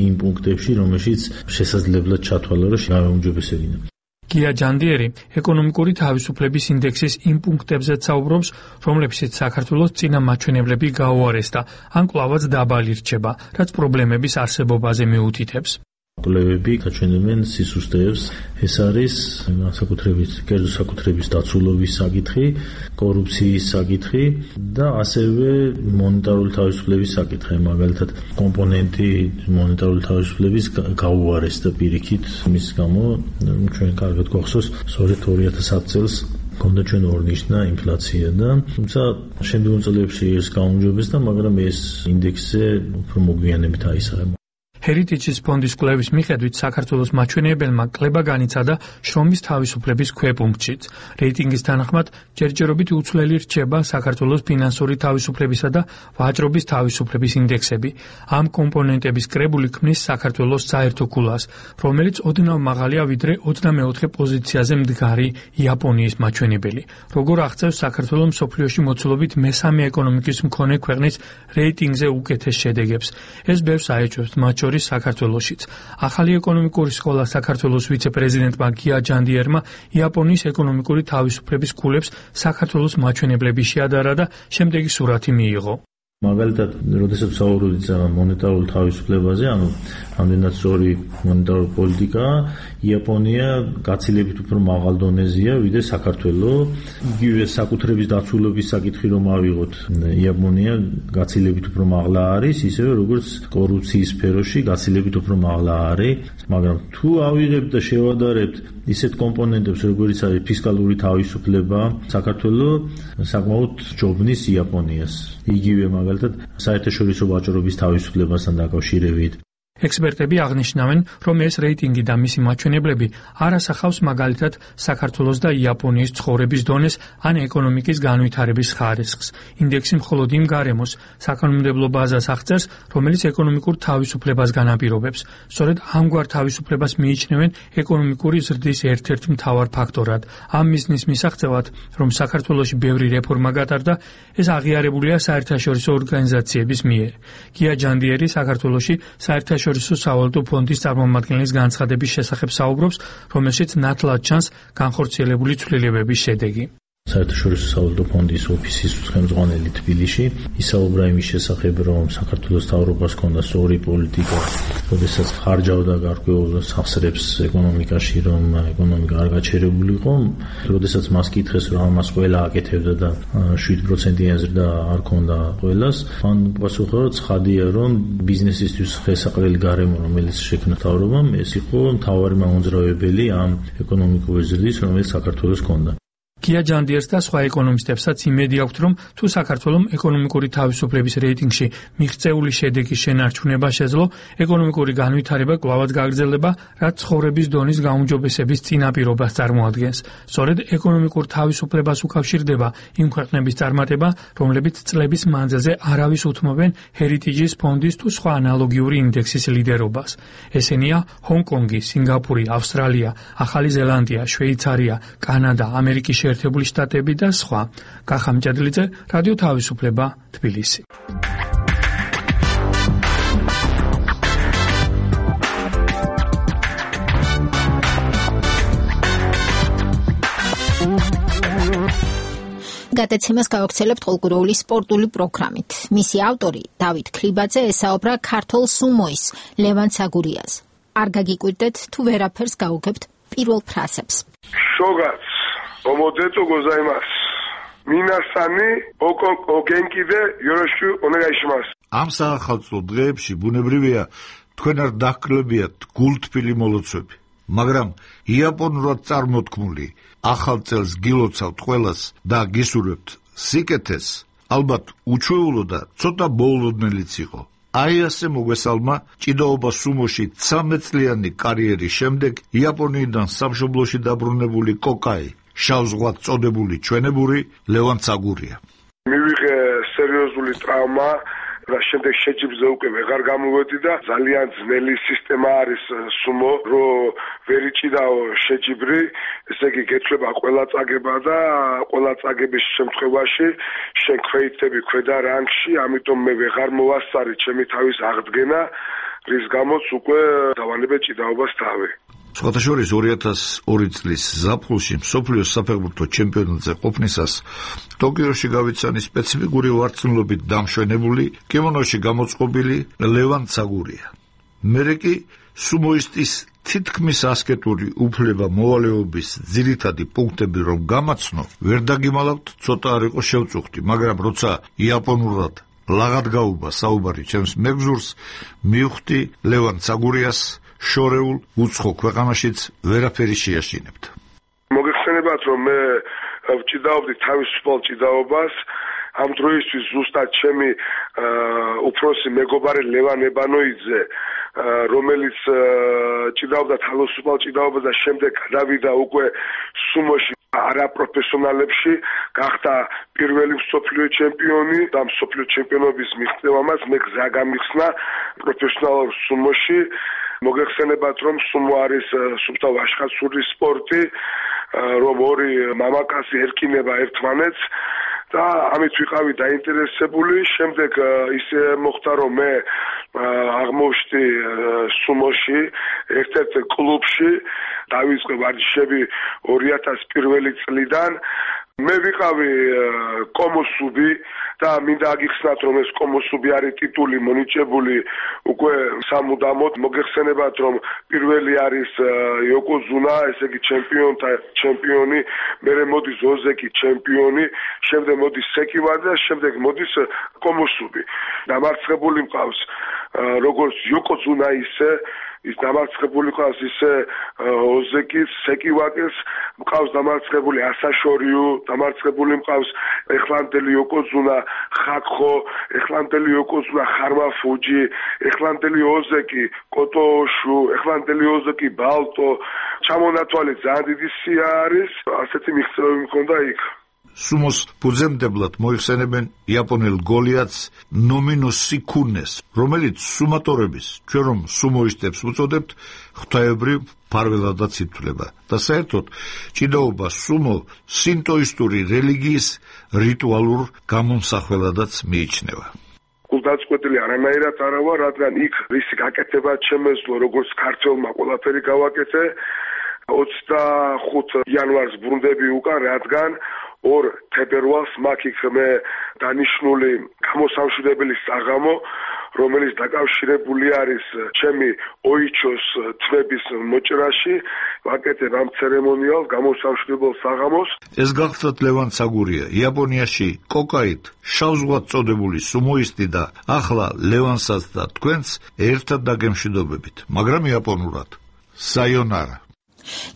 Speaker 16: იმ პუნქტებში, რომელშიც შესაძლებლად ჩათვალა, რომ გაუმჯობესებინა.
Speaker 15: გია ჯანდიერი ეკონომიკური თავისუფლების ინდექსის იმ პუნქტებზეც საუბრობს, რომლებშიც საქართველოს წინა მაჩვენებლები გაუარესდა, ან კვლავაც დაბალი რჩება, რაც პრობლემების არსებობაზე მიუთითებს.
Speaker 16: კვლევები გაჩვენებენ სისუსტეებს, ეს არის კერძო საკუთრების დაცულობის საკითხი, კორუფციის საკითხი და ასევე მონეტარული თავისუფლების საკითხი, მაგალითად კომპონენტი მონეტარული თავისუფლების გაუარესდა პირიქით, მის გამო ჩვენ კარგად გვახსოვს, სწორედ 2010 წელს გქონდა ჩვენ ორნიშნა ინფლაცია და თუმცა შემდგომ წლებში ეს გაუმჯობესდა, მაგრამ ეს ინდექსზე უფრო მოგვიანებით აისახება.
Speaker 15: Heritage ფონდის კვლევის მიხედვით საქართველოს მაჩვენებელმა კლება განიცადა შრომის თავისუფლების ქვეპუნქტშიც. რეიტინგის თანახმად ჯერჯერობით უცვლელი რჩება საქართველოს ფინანსური თავისუფლებისა და ვაჭრობის თავისუფლების ინდექსები. ამ კომპონენტების კრებული ქმნის საქართველოს საერთო ქულას, რომელიც ოდნავ მაღალია ვიდრე 24 პოზიციაზე მდგარი იაპონიის მაჩვენებელი. როგორ აღწევს საქართველოს მსოფლიოში მოცულობით მესამე ეკონომიკის მქონე ქვეყნის რეიტინგზე უკეთეს შედეგებს. ეს ბევრს აეჭვებს, მათ შორის საქართველოშიც. ახალი ეკონომიკური სკოლა საქართველოს ვიცე-პრეზიდენტმა გია ჯანდიერმა იაპონიის ეკონომიკური თავისუფლების ქულებს საქართველოს მაჩვენებლების შეადარა და შემდეგი სურათი მიიღო.
Speaker 16: მაგალითად, როდესაც საუბრობთ მონეტარულ თავისუფლებაზე, ანუ ამდენად სწორი მონეტარული პოლიტიკა, იაპონია გაცილებით უფრო მაღალ დონეზეა, ვიდრე საქართველოს. იგივე საკუთრების დაცულობის საკითხი რომ ავიღოთ, იაპონია გაცილებით უფრო მაღლა არის, ისევე როგორც კორუფციის სფეროში გაცილებით უფრო მაღლა არის, მაგრამ თუ ავიღებთ და შევადარებთ ისეთ კომპონენტებს, როგორიც არის ფისკალური თავისუფლება, საქართველოს საკმაოდ ჯობნის იაპონიას. იგივე მაგალითად საერთაშორისო ვაჭრობის თავისუფლებასთან დაკავშირებით.
Speaker 15: ექსპერტები აღნიშნავენ, რომ ეს რეიტინგი და მისი მაჩვენებლები არ ასახავს მაგალითად საქართველოს და იაპონიის ცხოვრების დონეს ან ეკონომიკის განვითარების ხარისხს. ინდექსი მხოლოდ იმ გარემოს საკანონმდებლო ბაზას აღწერს, რომელიც ეკონომიკურ თავისუფლებას განაპირობებს. სწორედ ამგვარ თავისუფლებას მიიჩნევენ ეკონომიკური ზრდის ერთ-ერთ მთავარ ფაქტორად. ამ მიზნის მისაღწევად, რომ საქართველოში ბევრი რეფორმა გატარდა, ეს აღიარებულია საერთაშორისო ორგანიზაციების მიერ. გია ჯანდიერი საქართველოში საერთაშორისო სავალუტო ფონდის წარმომადგენლის განცხადების შესახებ საუბრობს, რომელშიც ნათლად ჩანს განხორციელებული ცვლილებების შედეგი.
Speaker 16: საერთაშორისო სავალუტო ფონდის ოფისის ხელმძღვანელი თბილისში ისაუბრა იმის შესახებ, რომ საქართველოს მთავრობას ჰქონდა სწორი პოლიტიკა, როდესაც ხარჯავდა გარკვეულ სახსრებს ეკონომიკაში, რომ ეკონომიკა არ გაჩერებული იყო, როდესაც მას კითხეს, რომ ამას ყველა აკეთებდა და 7%-იანი ზრდა არ ჰქონდა ყველას, მან პასუხა, რომ ცხადია, რომ ბიზნესისთვის ხელსაყრელი გარემო, რომელიც შექმნა მთავრობამ, ეს იყო მთავარი მამოძრავებელი ამ ეკონომიკური ზრდის, რომელიც საქართველოს ჰქონდა.
Speaker 15: გია ჯანდიერს და სხვა ეკონომისტებსაც იმედი აქვთ, რომ თუ საქართველოს ეკონომიკური თავისუფლების რეიტინგში მიღწეული შედეგის შენარჩუნება შეძლო, ეკონომიკური განვითარება კვლავაც გაგრძელდება, რაც ცხოვრების დონის გაუმჯობესების წინაპირობას წარმოადგენს. სწორედ ეკონომიკურ თავისუფლებას უკავშირდება იმ ქვეყნების წარმატება, რომლებიც წლების მანძილზე არავის უთმობენ ჰერიტიჯის ფონდის თუ სხვა ანალოგიური ინდექსის ლიდერობას. ესენია ჰონკონგი, სინგაპური, ავსტრალია, ახალი ზელანდია, შვეიცარია, კანადა, ამერიკის შეერთებული შტატები და სხვა. კახა მჭედლიძე, რადიო თავისუფლება, თბილისი.
Speaker 1: გადაცემას გავაგრძელებთ ყოლგუროული სპორტული პროგრამით. მისი ავტორი დავით ქრიბაძე ესაუბრა ქართულ სუმოის ლევან ცაგურიას. არ გაგიკვირდეთ თუ ვერაფერს გაუგებთ პირველ ფრაზებს.
Speaker 5: შოგაც ომოდეტო გოზაიმას. მინასანი ოგენკიდე იოროშუ ონეგაიშიმას.
Speaker 17: ამ საახალწლო დღეებში ბუნებრივია თქვენ არ დაჰკლებიათ გულთბილი მოლოცვები, მაგრამ იაპონურად წარმოთქმული ახალ წელს გილოცავთ ყველას და გისურვებთ სიკეთეს, ალბათ უჩვეულო და ცოტა მოულოდნელიც იყო. აი ასე მოგესალმა ჭიდაობა სუმოში 13 წლიანი კარიერის შემდეგ იაპონიიდან სამშობლოში დაბრუნებული კოკაი, შავ ზღვად წოდებული ჩვენებური ლევან ცაგურია.
Speaker 5: მივიღე სერიოზული ტრავმა და შემდეგ შეჯიბრზე უკვე ვეღარ გამოვედი და ძალიან ძნელი სისტემა არის სუმო, რომ ვერ იჭიდაო შეჯიბრი, ესე იგი გეცვლება ყველა წაგება და ყველა წაგების შემთხვევაში შენ ქვეითები ქვედა რანგში, ამიტომ მე ვეღარ მოვასწარი ჩემი თავის აღდგენა, რის გამოც უკვე დავანებე ჭიდაობას თავი.
Speaker 17: სხვათა შორის 2002 წლის ზაფხულში მსოფლიოს საფეხბურთო ჩემპიონატზე ყოფნისას ტოკიოში გავიცანი სპეციფიკური ვარცხნილობით დამშვენებული, კიმონოში გამოწყობილი ლევან ცაგურია. მერე კი სუმოისტის თითქმის ასკეტური უფლება მოვალეობის ძირითადი პუნქტები რომ გამაცნო, ვერ დაგიმალავთ, ცოტა არ იყო შევწუხდი, მაგრამ როცა იაპონურად ლაღად გაუვა საუბარი ჩემს მეგზურს, მივხვდი ლევან ცაგურიას შორეულ უცხო ქვეყანაშიც ვერაფერი შეაშინებთ.
Speaker 5: მოგეხსენებათ, რომ მე ვჭიდაობდი თავისუფალ ჭიდაობას, ამ დროისთვის ზუსტად ჩემი უფროსი მეგობარი ლევან ებანოიძე, რომელიც ჭიდაობდა თავისუფალ ჭიდაობას და შემდეგ გადავიდა უკვე სუმოში არაპროფესიონალებში, გახდა პირველი მსოფლიო ჩემპიონი და მსოფლიო ჩემპიონობის მიღწევამაც მე გზა გამიხსნა პროფესიონალურ სუმოში. მოგეხსენებათ, რომ სუმო არის სუფთა ვაჟხაცური სპორტი, რომ ორი მამაკაცი ერკინება ერთმანეთს და ამით ვიყავი დაინტერესებული. შემდეგ ისე მოხდა, რომ მე აღმოჩნდი სუმოში ერთ-ერთ კლუბში, დავიწყე ვარჯიშები 2001 წლიდან. მე ვიყავი კომოსუბი და მინდა აგიხსნათ, რომ ეს კომოსუბი არის ტიტული მონიჭებული უკვე სამუდამოდ. მოგეხსენებათ, რომ პირველი არის იოკოზუნა, ესე იგი ჩემპიონთა ჩემპიონი, მერე მოდის ოზეკი ჩემპიონი, შემდეგ მოდის სეკივა და შემდეგ მოდის კომოსუბი. დამარცხებული მყავს როგორც იოკოზუნა ისე ის დამარცხებული ყავს ისე ოზეკის, სეკივაკეს, მყავს დამარცხებული ასაშორიუ, დამარცხებული მყავს ეხლანდელი იოკოზუნა ხაკხო, ეხლანდელი იოკოზუნა ხარმაფუჯი, ეხლანდელი ოზეკი კოტოშუ, ეხლანდელი ოზეკი ბალტო. ჩამონათვალი ძალიან დიდი სია არის, ასეთი მიღწევები მქონდა იქ.
Speaker 17: სუმოს ფუძემდებლად მოიხსენებენ იაპონელ გოლიათს ნომინო სიკუნეს, რომელიც სუმატორების, ჩვენ რომ სუმოისტებს უწოდებთ, ღვთაებრივ ფარველადაც ითვლება და საერთოდ ჭიდაობა სუმო სინტოისტური რელიგიის რიტუალურ გამომსახველადაც მიიჩნევა.
Speaker 5: გულდაწყვეტილი არანაირად არა ვარ, რადგან იქ რისი გაკეთება შემეძლო, როგორც ქართველმა ყველაფერი გავაკეთე. 25 იანვარს ბრუნდები უკან, რადგან 2 თებერვალს მაგ იქ მე დანიშნული გამოსამშვიდებელი საღამო, რომელიც დაკავშირებული არის ჩემი ოიჩოს თვების მოჭრაში, ვაკეთებ ამ ცერემონიალს გამოსამშვიდებელ საღამოს.
Speaker 17: ეს გახლავთ ლევან ცაგურია, იაპონიაში კოკაით შავ-ზღვად წოდებული სუმოისტი და ახლა ლევანსაც და თქვენს ერთად დაგემშვიდობებით, მაგრამ იაპონურად. საიონარა.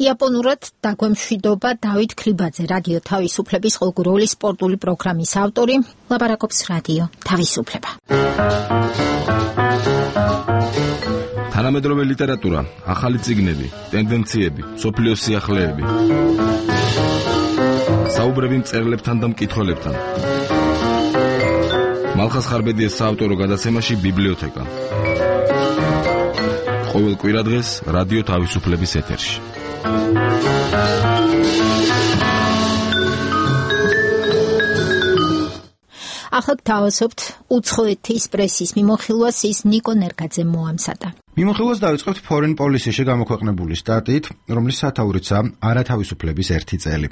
Speaker 1: იაპონურად დაგვემშვიდობა დავით ქრიბაძე, რადიო თავისუფლების ყოველდღიური სპორტული პროგრამის ავტორი, ლაპარაკობს რადიო თავისუფლება.
Speaker 18: თანამედროვე ლიტერატურა, ახალი წიგნები, ტენდენციები, სოფლიოს სიახლეები. საუბრები მწერლებთან და მკითხველებთან. მალხას ხარბედიას საავტორო გადაცემაში ბიბლიოთეკა. ყოველ კვირადღეს რადიო თავისუფლების ეთერში.
Speaker 1: ახლა გთავაზობთ უცხოეთის პრესის მიმოხილვას, ის ნიკო ნერგაძემ მოამზადა.
Speaker 19: მიმოხილვას დავიწყებთ Foreign Policy-ში გამოქვეყნებული სტატიით, რომლის სათაურიცაა არათავისუფლების 1 წელი.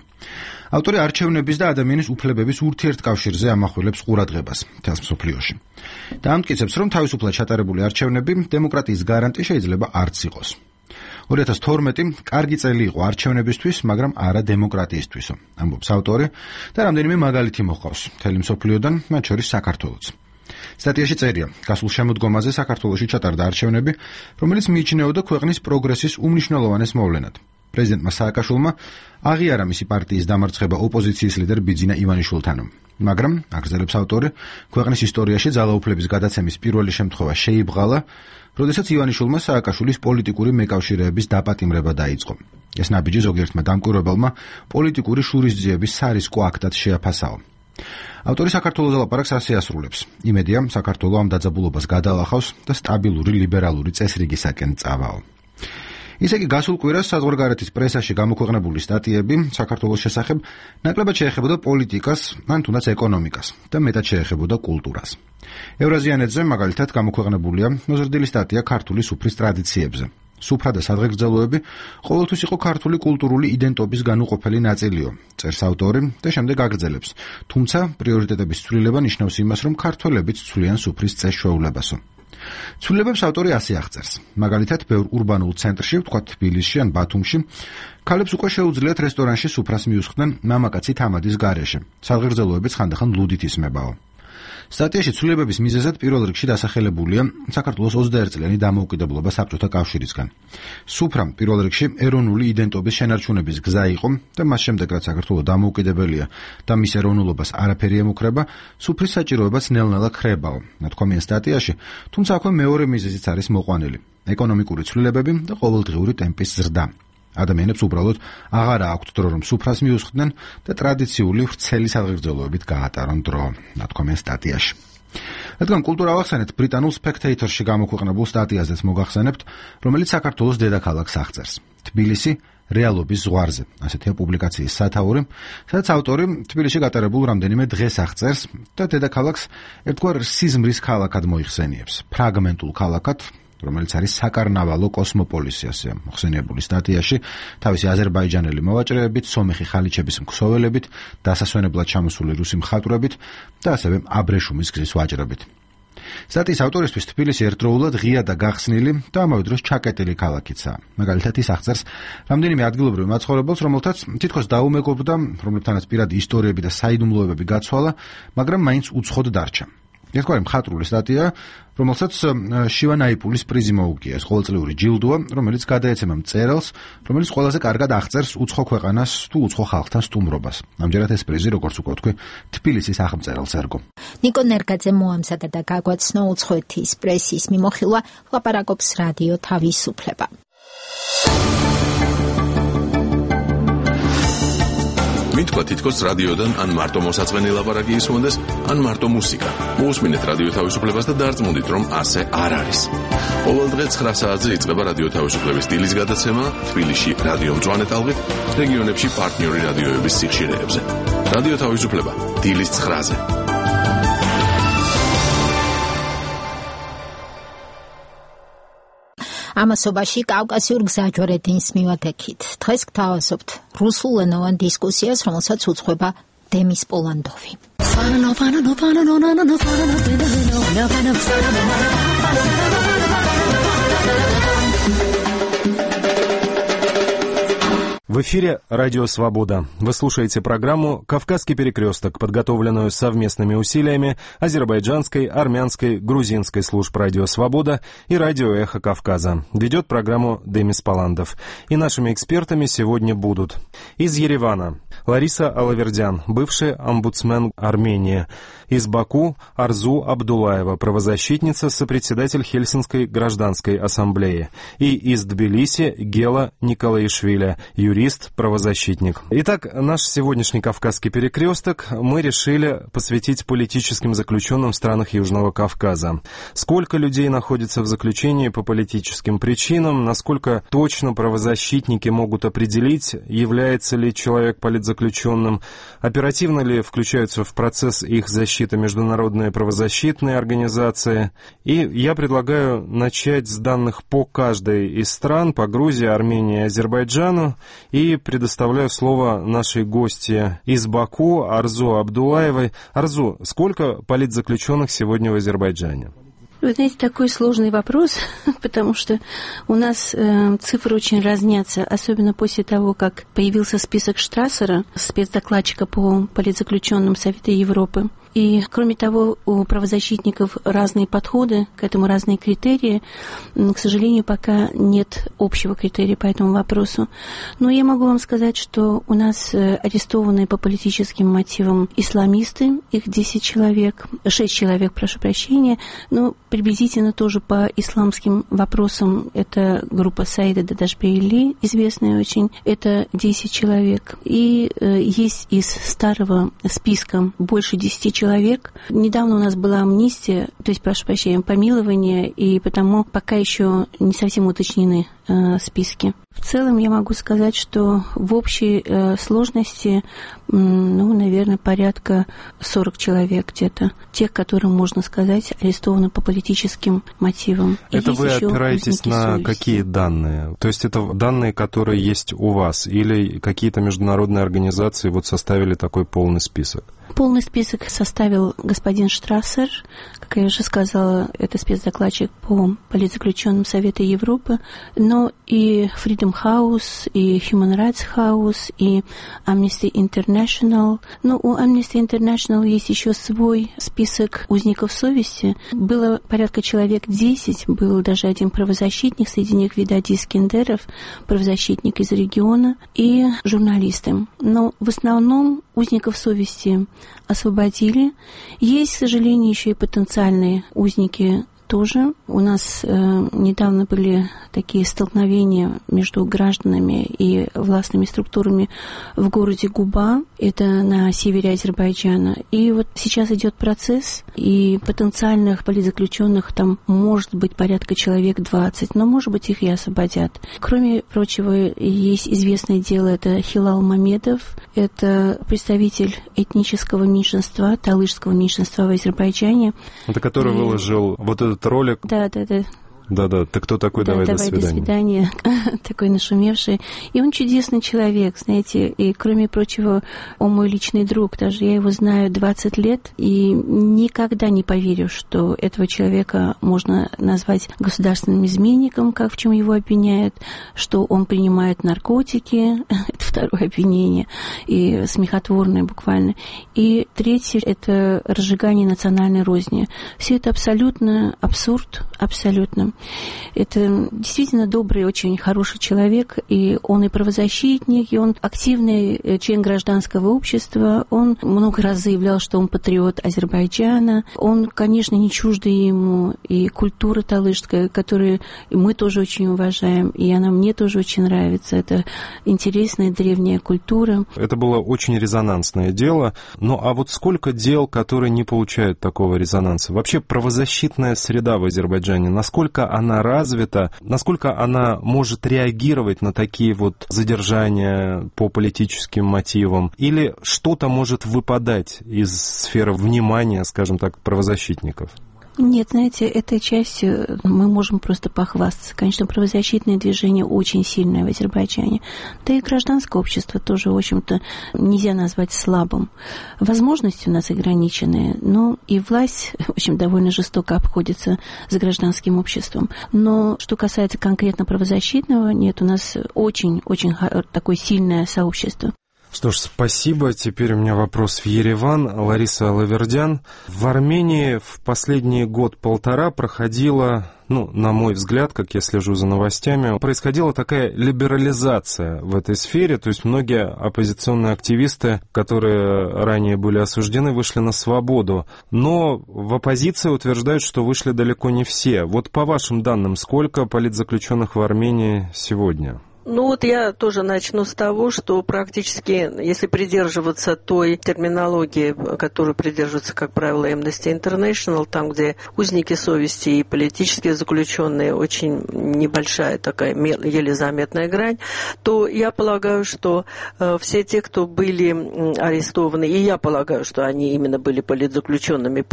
Speaker 19: ავტორი არჩევნების და ადამიანის უფლებების ურთიერთკავშირზე ამახვილებს ყურადღებას მთელს მსოფლიოში. და ამტკიცებს, რომ თავისუფლად ჩატარებული არჩევნები დემოკრატიის გარანტი შეიძლება არც იყოს. 2012 კარგი წელი იყო არჩევნებისთვის, მაგრამ არა დემოკრატიისთვისო, ამბობს ავტორი და რამდენიმე მაგალითი მოჰყავს მთელი მსოფლიოდან, მათ შორის საქართველოც. სტატიაში წერია, გასულ შემოდგომაზე საქართველოში ჩატარდა არჩევნები, რომელიც მიიჩნეოდა ქვეყნის პროგრესის უმნიშვნელოვანეს მოვლენად. პრეზიდენტმა სააკაშვილმა აღიარა მისი პარტიის დამარცხება ოპოზიციის ლიდერ ბიძინა ივანიშვილთან. მაგრამ, აგრძელებს ავტორი, ქვეყნის ისტორიაში ძალაუფლების გადაცემის პირველი შემთხვევა შეიბღალა, როდესაც ივანიშვილმა სააკაშვილის პოლიტიკური მეკავშირეების დაპატიმრება დაიწყო. ეს ნაბიჯი ზოგიერთმა დამკვირვებელმა პოლიტიკური შურისძიების სარისკო აქტად შეაფასაო. ავტორი საქართველოს ლაპარაკს ასე ასრულებს. იმედია, საქართველოს ამ დაძაბულობას გადალახავს და სტაბილური ლიბერალური წესრიგისაკენ წავაო. ისე კი გასულ კვირას საზღვარგარეთის პრესაში გამოქვეყნებული სტატიები საქართველოს შესახებ ნაკლებად შეეხებოდა პოლიტიკას, ან თუნდაც ეკონომიკას და მეტად შეეხებოდა კულტურას. ევრაზიანეთზე მაგალითად გამოქვეყნებულია მოზრდილი სტატია ქართული სუფრის ტრადიციებზე. სუფრა და სადღეგრძელოები ყოველთვის იყო ქართული კულტურული იდენტობის განუყოფელი ნაწილიო, წერს ავტორი და შემდეგ აგრძელებს. თუმცა პრიორიტეტების ცვლილება ნიშნავს იმას, რომ ქართველებიც ცვლიან სუფრის წესშეულებასო. ცვლილებებს ავტორი ასე აღწერს. მაგალითად, ბევრ ურბანულ ცენტრში, ვთქვათ თბილისში ან ბათუმში, ქალებს უკვე შეუძლიათ რესტორანში სუფრას მიუსხდნენ მამაკაცი თამადის გარეშე. სადღეგრძელოებიც ხანდახან ლუდით ისმებაო. სტატიაში ცვლილებების მიზეზად პირველ რიგში დასახელებულია საქართველოს 21 წლიანი დამოუკიდებლობა საბჭოთა კავშირისგან. სუფრა პირველ რიგში ეროვნული იდენტობის შენარჩუნების გზა იყო და მას შემდეგ რაც საქართველო დამოუკიდებელია და მის ეროვნულობას არაფერი ემუქრება, სუფრის საჭიროებაც ნელ-ნელა ქრებაო. ნათქვამია სტატიაში, თუმცა აქვე მეორე მიზეზიც არის მოყვანილი: ეკონომიკური ცვლილებები და ყოველდღიური ტემპის ზრდა. ადამიანებს უბრალოდ აღარა აქვთ დრო, რომ სუფრას მიუსხდნენ და ტრადიციული ვრცელი სადღეგრძელოებით გაატარონ დრო, ნათქვამია სტატიაში. რადგან კულტურა ავახსენეთ, ბრიტანულ Spectator-ში გამოქვეყნებულ სტატიაზეც მოგახსენებთ, რომელიც საქართველოს დედაქალაქს აღწერს. თბილისი რეალობის ზღვარზე, ასეთია პუბლიკაციის სათაური, სადაც ავტორი თბილისში გატარებულ რამდენიმე დღეს აღწერს და დედაქალაქს ერთგვარ სიზმრის ქალაქად მოიხსენიებს, ფრაგმენტულ ქალაქად, რომელიც არის საკარნავალო კოსმოპოლისი, ასე მოხსენიებული სტატიაში, თავისი აზერბაიჯანელი მოვაჭრეებით, სომეხი ხალიჩების მქსოველებით, დასასვენებლად ჩამოსული რუსი მხატვრებით და ასევე აბრეშუმის გზის ვაჭრებით. სტატიის ავტორისთვის თბილისი ერთდროულად ღია და გახსნილი და ამავე დროს ჩაკეტილი ქალაქიცაა. მაგალითად, ის აღწერს რამდენიმე ადგილობრივ მაცხოვრებელს, რომელთაც თითქოს დაუმეგობრდა, რომლებთანაც პირადი ისტორიები და საიდუმლოებები გაცვალა, მაგრამ მაინც უცხოდ დარჩა. ერთგვარი მხატვრული სტატია, რომელსაც შივანაიპულის პრიზი მოუგია. ეს ყოველწლიური ჯილდოა, რომელიც გადაეცემა მწერალს, რომელიც ყველაზე კარგად აღწერს უცხო ქვეყანას თუ უცხო ხალხთან სტუმრობას. ამჯერად ეს პრიზი, როგორც უკვე ვთქვი, თბილისის აღმწერელს ერგო.
Speaker 1: ნიკო ნერგაძე მოამზადა და გაგვაცნო უცხოეთის პრესის მიმოხილვა, ლაპარაკობს რადიო თავისუფლება.
Speaker 9: მითქვა თითქოს რადიოდან ან მარტო მოსაწყენი ლაპარაკი ისმოდეს, ან მარტო მუსიკა. მოусმინეთ რადიო თავისუფლებას და დარწმუნდით, რომ ასე არ არის. ყოველ დღე 9 საათზე იწყება რადიო თავისუფლების დილის გადაცემა თბილისში რადიო მწვანე ტალღით, რეგიონებში პარტნიორი რადიოების სიხშირეებზე. რადიო თავისუფლება დილის 9-ზე.
Speaker 1: ამასობაში კავკასიურ გზაჯვარედინს მივადგეთ. დღეს გთავაზობთ რუსულენოვან დისკუსიას, რომელსაც უძღვება დემის პოლანდოვი.
Speaker 20: В эфире «Радио Свобода». Вы слушаете программу «Кавказский перекресток», подготовленную совместными усилиями азербайджанской, армянской, грузинской служб «Радио Свобода» и «Радио Эхо Кавказа». Ведет программу Демис Поландов. И нашими экспертами сегодня будут из Еревана Лариса Алавердян, бывший омбудсмен Армении. Из Баку Арзу Абдулаева, правозащитница, сопредседатель Хельсинской гражданской ассамблеи. И из Тбилиси Гела Николаишвили, юрист, правозащитник. Итак, наш сегодняшний Кавказский перекресток мы решили посвятить политическим заключенным в странах Южного Кавказа. Сколько людей находится в заключении по политическим причинам, насколько точно правозащитники могут определить, является ли человек политзаключенным, оперативно ли включаются в процесс их защиты международные правозащитные организации. И я предлагаю начать с данных по каждой из стран, по Грузии, Армении и Азербайджану, и предоставляю слово нашей гости из Баку Арзу Абдулаевой. Арзу, сколько политзаключенных сегодня в Азербайджане?
Speaker 21: Вы знаете, такой сложный вопрос, потому что у нас цифры очень разнятся, особенно после того, как появился список Штрассера, спецдокладчика по политзаключенным Совета Европы. И, кроме того, у правозащитников разные подходы к этому, разные критерии. К сожалению, пока нет общего критерия по этому вопросу. Но я могу вам сказать, что у нас арестованы по политическим мотивам исламисты, их 10 человек, 6 человек, прошу прощения, но приблизительно тоже по исламским вопросам это группа Саида Дадашбейли, известная очень, это 10 человек. И есть из старого списка больше 10 человек. Недавно у нас была амнистия, то есть, прошу прощения, помилование, и потому пока еще не совсем уточнены списки. В целом я могу сказать, что в общей сложности, наверное, порядка 40 человек где-то. Тех, которым, можно сказать, арестованы по политическим мотивам.
Speaker 20: Это вы опираетесь на какие данные? То есть это данные, которые есть у вас, или какие-то международные организации вот составили такой полный список?
Speaker 21: Полный список составил господин Штрассер, как я уже сказала, это спецдокладчик по политзаключенным Совета Европы, но и Freedom House, и Human Rights House, и Amnesty International. Но у Amnesty International есть еще свой список узников совести. Было порядка человек 10, был даже один правозащитник, среди них Видади Искендеров, правозащитник из региона, и журналисты. Но в основном узников совести освободили. Есть, к сожалению, еще и потенциальные узники тоже. У нас недавно были такие столкновения между гражданами и властными структурами в городе Губа, это на севере Азербайджана. И вот сейчас идет процесс, и потенциальных политзаключенных там может быть порядка человек 20, но, может быть, их и освободят. Кроме прочего, есть известное дело, это Хилал Мамедов, это представитель этнического меньшинства, талышского меньшинства в Азербайджане.
Speaker 20: Это который выложил вот этот ролик.
Speaker 21: Да.
Speaker 20: Да, ты кто такой,
Speaker 21: да,
Speaker 20: давай до свидания.
Speaker 21: Такой нашумевший. И он чудесный человек, знаете, и, кроме прочего, он мой личный друг, даже я его знаю 20 лет, и никогда не поверю, что этого человека можно назвать государственным изменником, как в чем его обвиняют, что он принимает наркотики, это второе обвинение, и смехотворное буквально. И третье, это разжигание национальной розни. Все это абсолютно абсурд, абсолютно. Это действительно добрый, очень хороший человек, и он и правозащитник, и он активный член гражданского общества, он много раз заявлял, что он патриот Азербайджана, он, конечно, не чуждый ему и культура талышская, которую мы тоже очень уважаем, и она мне тоже очень нравится, это интересная древняя культура.
Speaker 20: Это было очень резонансное дело, а вот сколько дел, которые не получают такого резонанса? Вообще правозащитная среда в Азербайджане, насколько она развита, насколько она может реагировать на такие вот задержания по политическим мотивам, или что-то может выпадать из сферы внимания, скажем так, правозащитников?
Speaker 21: Нет, знаете, этой частью мы можем просто похвастаться. Конечно, правозащитное движение очень сильное в Азербайджане. Да и гражданское общество тоже, в общем-то, нельзя назвать слабым. Возможности у нас ограниченные, но и власть, в общем, довольно жестоко обходится с гражданским обществом. Но что касается конкретно правозащитного, нет, у нас очень-очень такое сильное сообщество.
Speaker 20: Что ж, спасибо. Теперь у меня вопрос в Ереван. Лариса Лавердян. В Армении в последний год-полтора проходила, на мой взгляд, как я слежу за новостями, происходила такая либерализация в этой сфере. То есть многие оппозиционные активисты, которые ранее были осуждены, вышли на свободу. Но в оппозиции утверждают, что вышли далеко не все. Вот по вашим данным, сколько политзаключенных в Армении сегодня?
Speaker 3: Я тоже начну с того, что практически, если придерживаться той терминологии, которую придерживается, как правило, Amnesty International, там, где узники совести и политические заключенные, очень небольшая такая, еле заметная грань, то я полагаю, что все те, кто были арестованы, и я полагаю, что они именно были политзаключенными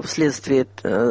Speaker 3: вследствие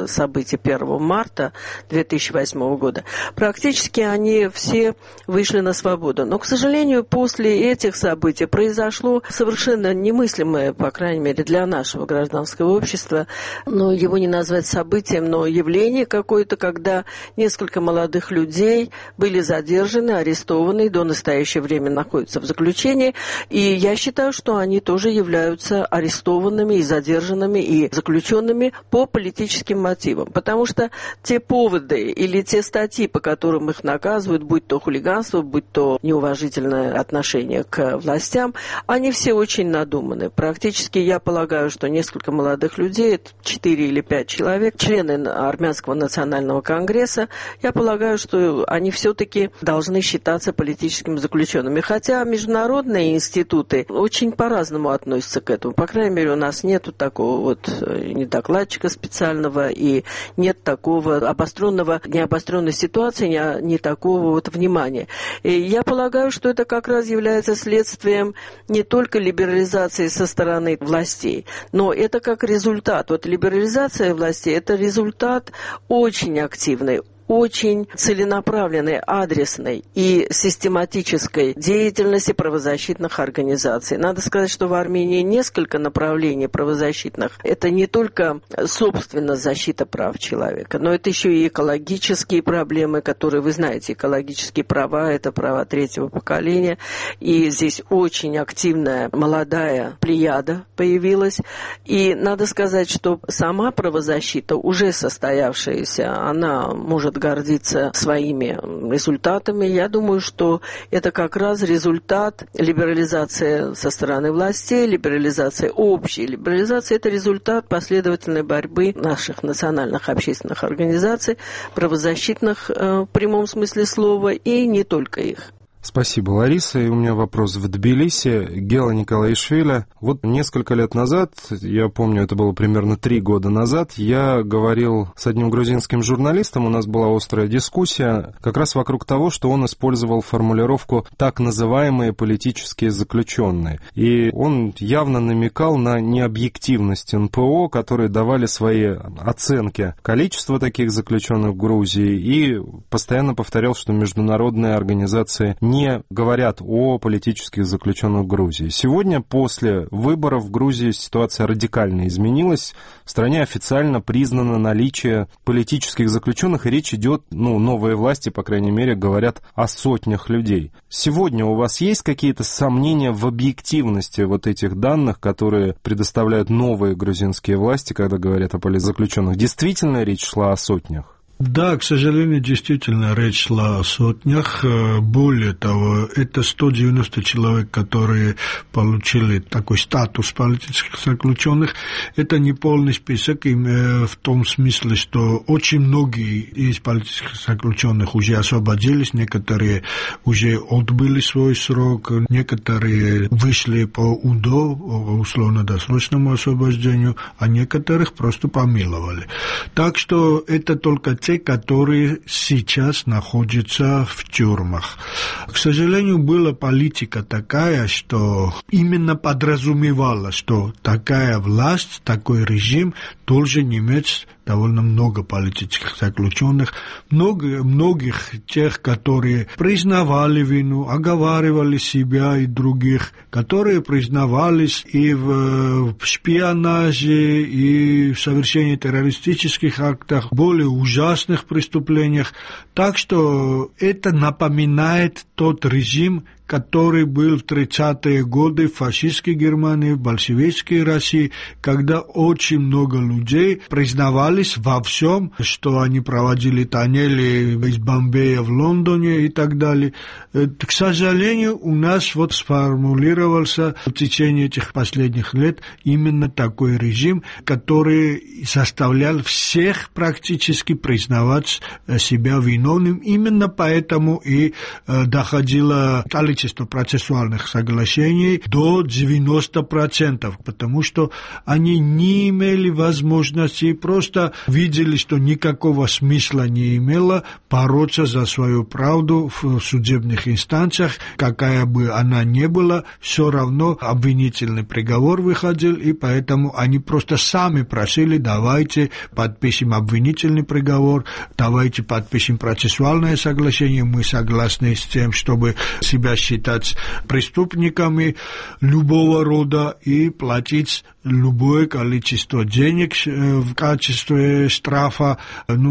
Speaker 3: событий 1 марта 2008 года, практически они все вышли на свободу. Но, к сожалению, после этих событий произошло совершенно немыслимое, по крайней мере, для нашего гражданского общества, его не назвать событием, но явление какое-то, когда несколько молодых людей были задержаны, арестованы, и до настоящего времени находятся в заключении. И я считаю, что они тоже являются арестованными и задержанными и заключенными по политическим мотивам. Потому что те поводы или те статьи, по которым их наказывают, будь то хулиганство, будь то неуважительное отношение к властям, они все очень надуманы. Практически я полагаю, что несколько молодых людей, 4 или 5 человек, члены Армянского национального конгресса, я полагаю, что они все-таки должны считаться политическими заключенными. Хотя международные институты очень по-разному относятся к этому. По крайней мере, у нас нет такого ни докладчика специального и нет такого необостренной ситуации, ни такого внимания. И я полагаю, что это как раз является следствием не только либерализации со стороны властей, но это как результат. Либерализация властей – это результат очень активный, очень целенаправленной, адресной и систематической деятельности правозащитных организаций. Надо сказать, что в Армении несколько направлений правозащитных. Это не только, собственно, защита прав человека, но это еще и экологические проблемы, которые, вы знаете, экологические права – это права третьего поколения. И здесь очень активная молодая плеяда появилась. И надо сказать, что сама правозащита, уже состоявшаяся, она может гордиться своими результатами. Я думаю, что это как раз результат либерализации со стороны властей, либерализации общей. Либерализация – это результат последовательной борьбы наших национальных общественных организаций, правозащитных в прямом смысле слова, и не только их.
Speaker 20: Спасибо, Лариса. И у меня вопрос в Тбилиси. Гела Николаишвили. Несколько лет назад, я помню, это было примерно 3 года назад, я говорил с одним грузинским журналистом, у нас была острая дискуссия как раз вокруг того, что он использовал формулировку «так называемые политические заключенные». И он явно намекал на необъективность НПО, которые давали свои оценки количества таких заключенных в Грузии, и постоянно повторял, что международные организации не говорят о политических заключенных в Грузии. Сегодня, после выборов в Грузии, ситуация радикально изменилась. В стране официально признано наличие политических заключенных, и речь идет, новые власти, по крайней мере, говорят о сотнях людей. Сегодня у вас есть какие-то сомнения в объективности этих данных, которые предоставляют новые грузинские власти, когда говорят о политзаключенных? Действительно речь шла о сотнях?
Speaker 22: Да, к сожалению, действительно речь шла о сотнях. Более того, это 190 человек, которые получили такой статус политических заключенных. Это не полный список, в том смысле, что очень многие из политических заключенных уже освободились, некоторые уже отбыли свой срок, некоторые вышли по УДО, условно-досрочному освобождению, а некоторых просто помиловали. Так что это только те, которые сейчас находятся в тюрьмах. К сожалению, была политика такая, что именно подразумевала, что такая власть, такой режим должен иметь довольно много политических заключенных, многих тех, которые признавали вину, оговаривали себя и других, которые признавались и в шпионаже, и в совершении террористических актах, более ужасных преступлениях. Так что это напоминает тот режим, который был в 30-е годы в фашистской Германии, в большевистской России, когда очень много людей признавались во всем, что они проводили тоннели из Бомбея в Лондоне и так далее. К сожалению, у нас вот сформулировался в течение этих последних лет именно такой режим, который заставлял всех практически признавать себя виновным. Именно поэтому и доходило количество процессуальных соглашений до 90%, потому что они не имели возможности, просто видели, что никакого смысла не имело бороться за свою правду в судебных инстанциях, какая бы она ни была, все равно обвинительный приговор выходил, и поэтому они просто сами просили: давайте подпишем обвинительный приговор, давайте подпишем процессуальное соглашение, мы согласны с тем, чтобы себя считать преступниками любого рода и платить любое количество денег в качестве штрафа,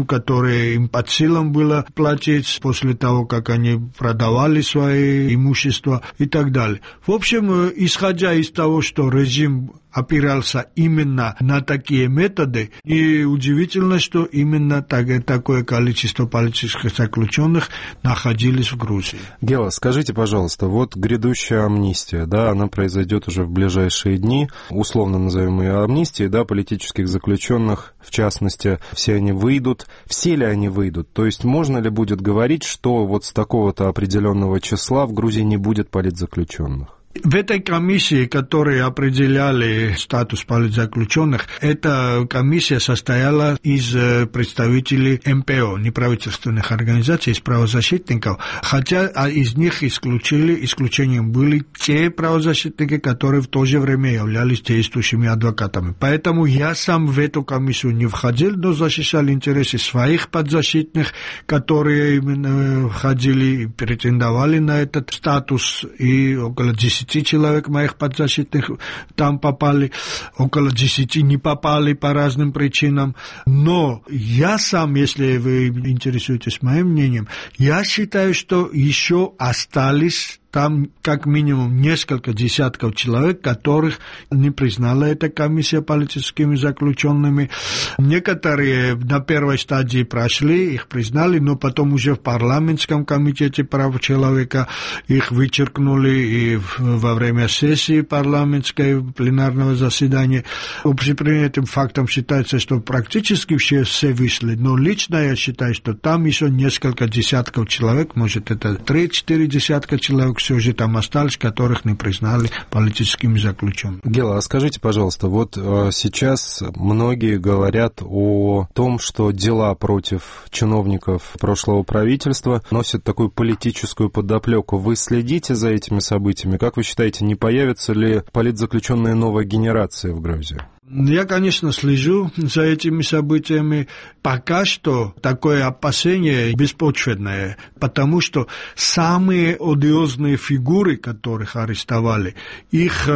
Speaker 22: которое им под силам было платить после того, как они продавали свои имущества и так далее. В общем, исходя из того, что режим опирался именно на такие методы, и удивительно, что именно такое количество политических заключенных находились в Грузии.
Speaker 20: Гела, скажите, пожалуйста, вот грядущая амнистия, да, она произойдет уже в ближайшие дни, условно назовем ее амнистией, да, политических заключенных, в частности, все они выйдут. Все ли они выйдут? То есть можно ли будет говорить, что вот с такого-то определенного числа в Грузии не будет политзаключенных?
Speaker 22: В этой комиссии, которые определяли статус политзаключенных, эта комиссия состояла из представителей МПО, неправительственных организаций, из правозащитников, хотя из них исключением были те правозащитники, которые в то же время являлись действующими адвокатами. Поэтому я сам в эту комиссию не входил, но защищал интересы своих подзащитных, которые именно входили и претендовали на этот статус, и около 10 человек моих подзащитных там попали, около 10 не попали по разным причинам. Но я сам, если вы интересуетесь моим мнением, я считаю, что еще остались там как минимум несколько десятков человек, которых не признала эта комиссия политическими заключенными. Некоторые на первой стадии прошли, их признали, но потом уже в парламентском комитете прав человека их вычеркнули, и во время сессии парламентской пленарного заседания. Общепринятым фактом считается, что практически все вышли, но лично я считаю, что там еще несколько десятков человек, может это 3-4 десятка человек, все же там остались, которых не признали политическими заключенными.
Speaker 20: Гела, а скажите, пожалуйста, вот сейчас многие говорят о том, что дела против чиновников прошлого правительства носят такую политическую подоплеку. Вы следите за этими событиями? Как вы считаете, не появится ли политзаключенная новая генерация в Грузии?
Speaker 22: Я, конечно, слежу за этими событиями. Пока что такое опасение беспочвенное, потому что самые одиозные фигуры, которых арестовали, их,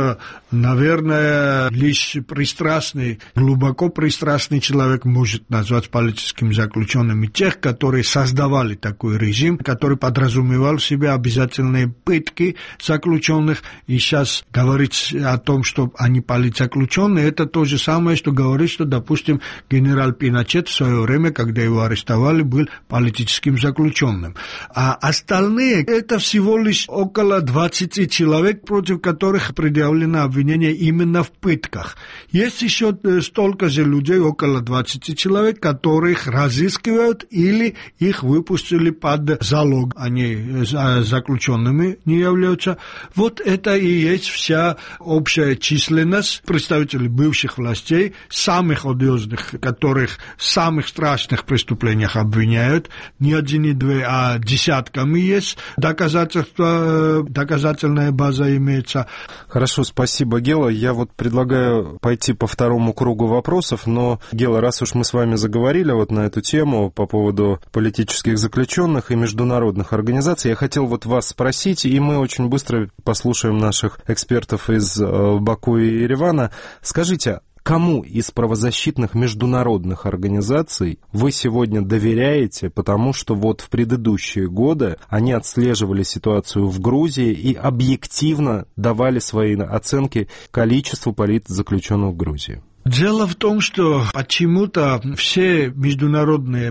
Speaker 22: наверное, лишь пристрастный, глубоко пристрастный человек может назвать политическими заключенными. Тех, которые создавали такой режим, который подразумевал в себе обязательные пытки заключенных, и сейчас говорить о том, что они политзаключенные, это то же самое, что говорит, что, допустим, генерал Пиночет в свое время, когда его арестовали, был политическим заключенным. А остальные, это всего лишь около 20 человек, против которых предъявлено обвинение именно в пытках. Есть еще столько же людей, около 20 человек, которых разыскивают или их выпустили под залог. Они заключенными не являются. Вот это и есть вся общая численность представителей бывших одиозных властей, самых одиозных, которых в самых страшных преступлениях обвиняют, не один, не два, а десятками есть, доказательная база имеется.
Speaker 20: Хорошо, спасибо, Гела. Я вот предлагаю пойти по второму кругу вопросов, но, Гела, раз уж мы с вами заговорили вот на эту тему по поводу политических заключенных и международных организаций, я хотел вот вас спросить, и мы очень быстро послушаем наших экспертов из Баку и Еревана. Скажите, кому из правозащитных международных организаций вы сегодня доверяете, потому что вот в предыдущие годы они отслеживали ситуацию в Грузии и объективно давали свои оценки количеству политзаключенных в Грузии?
Speaker 22: Дело в том, что почему-то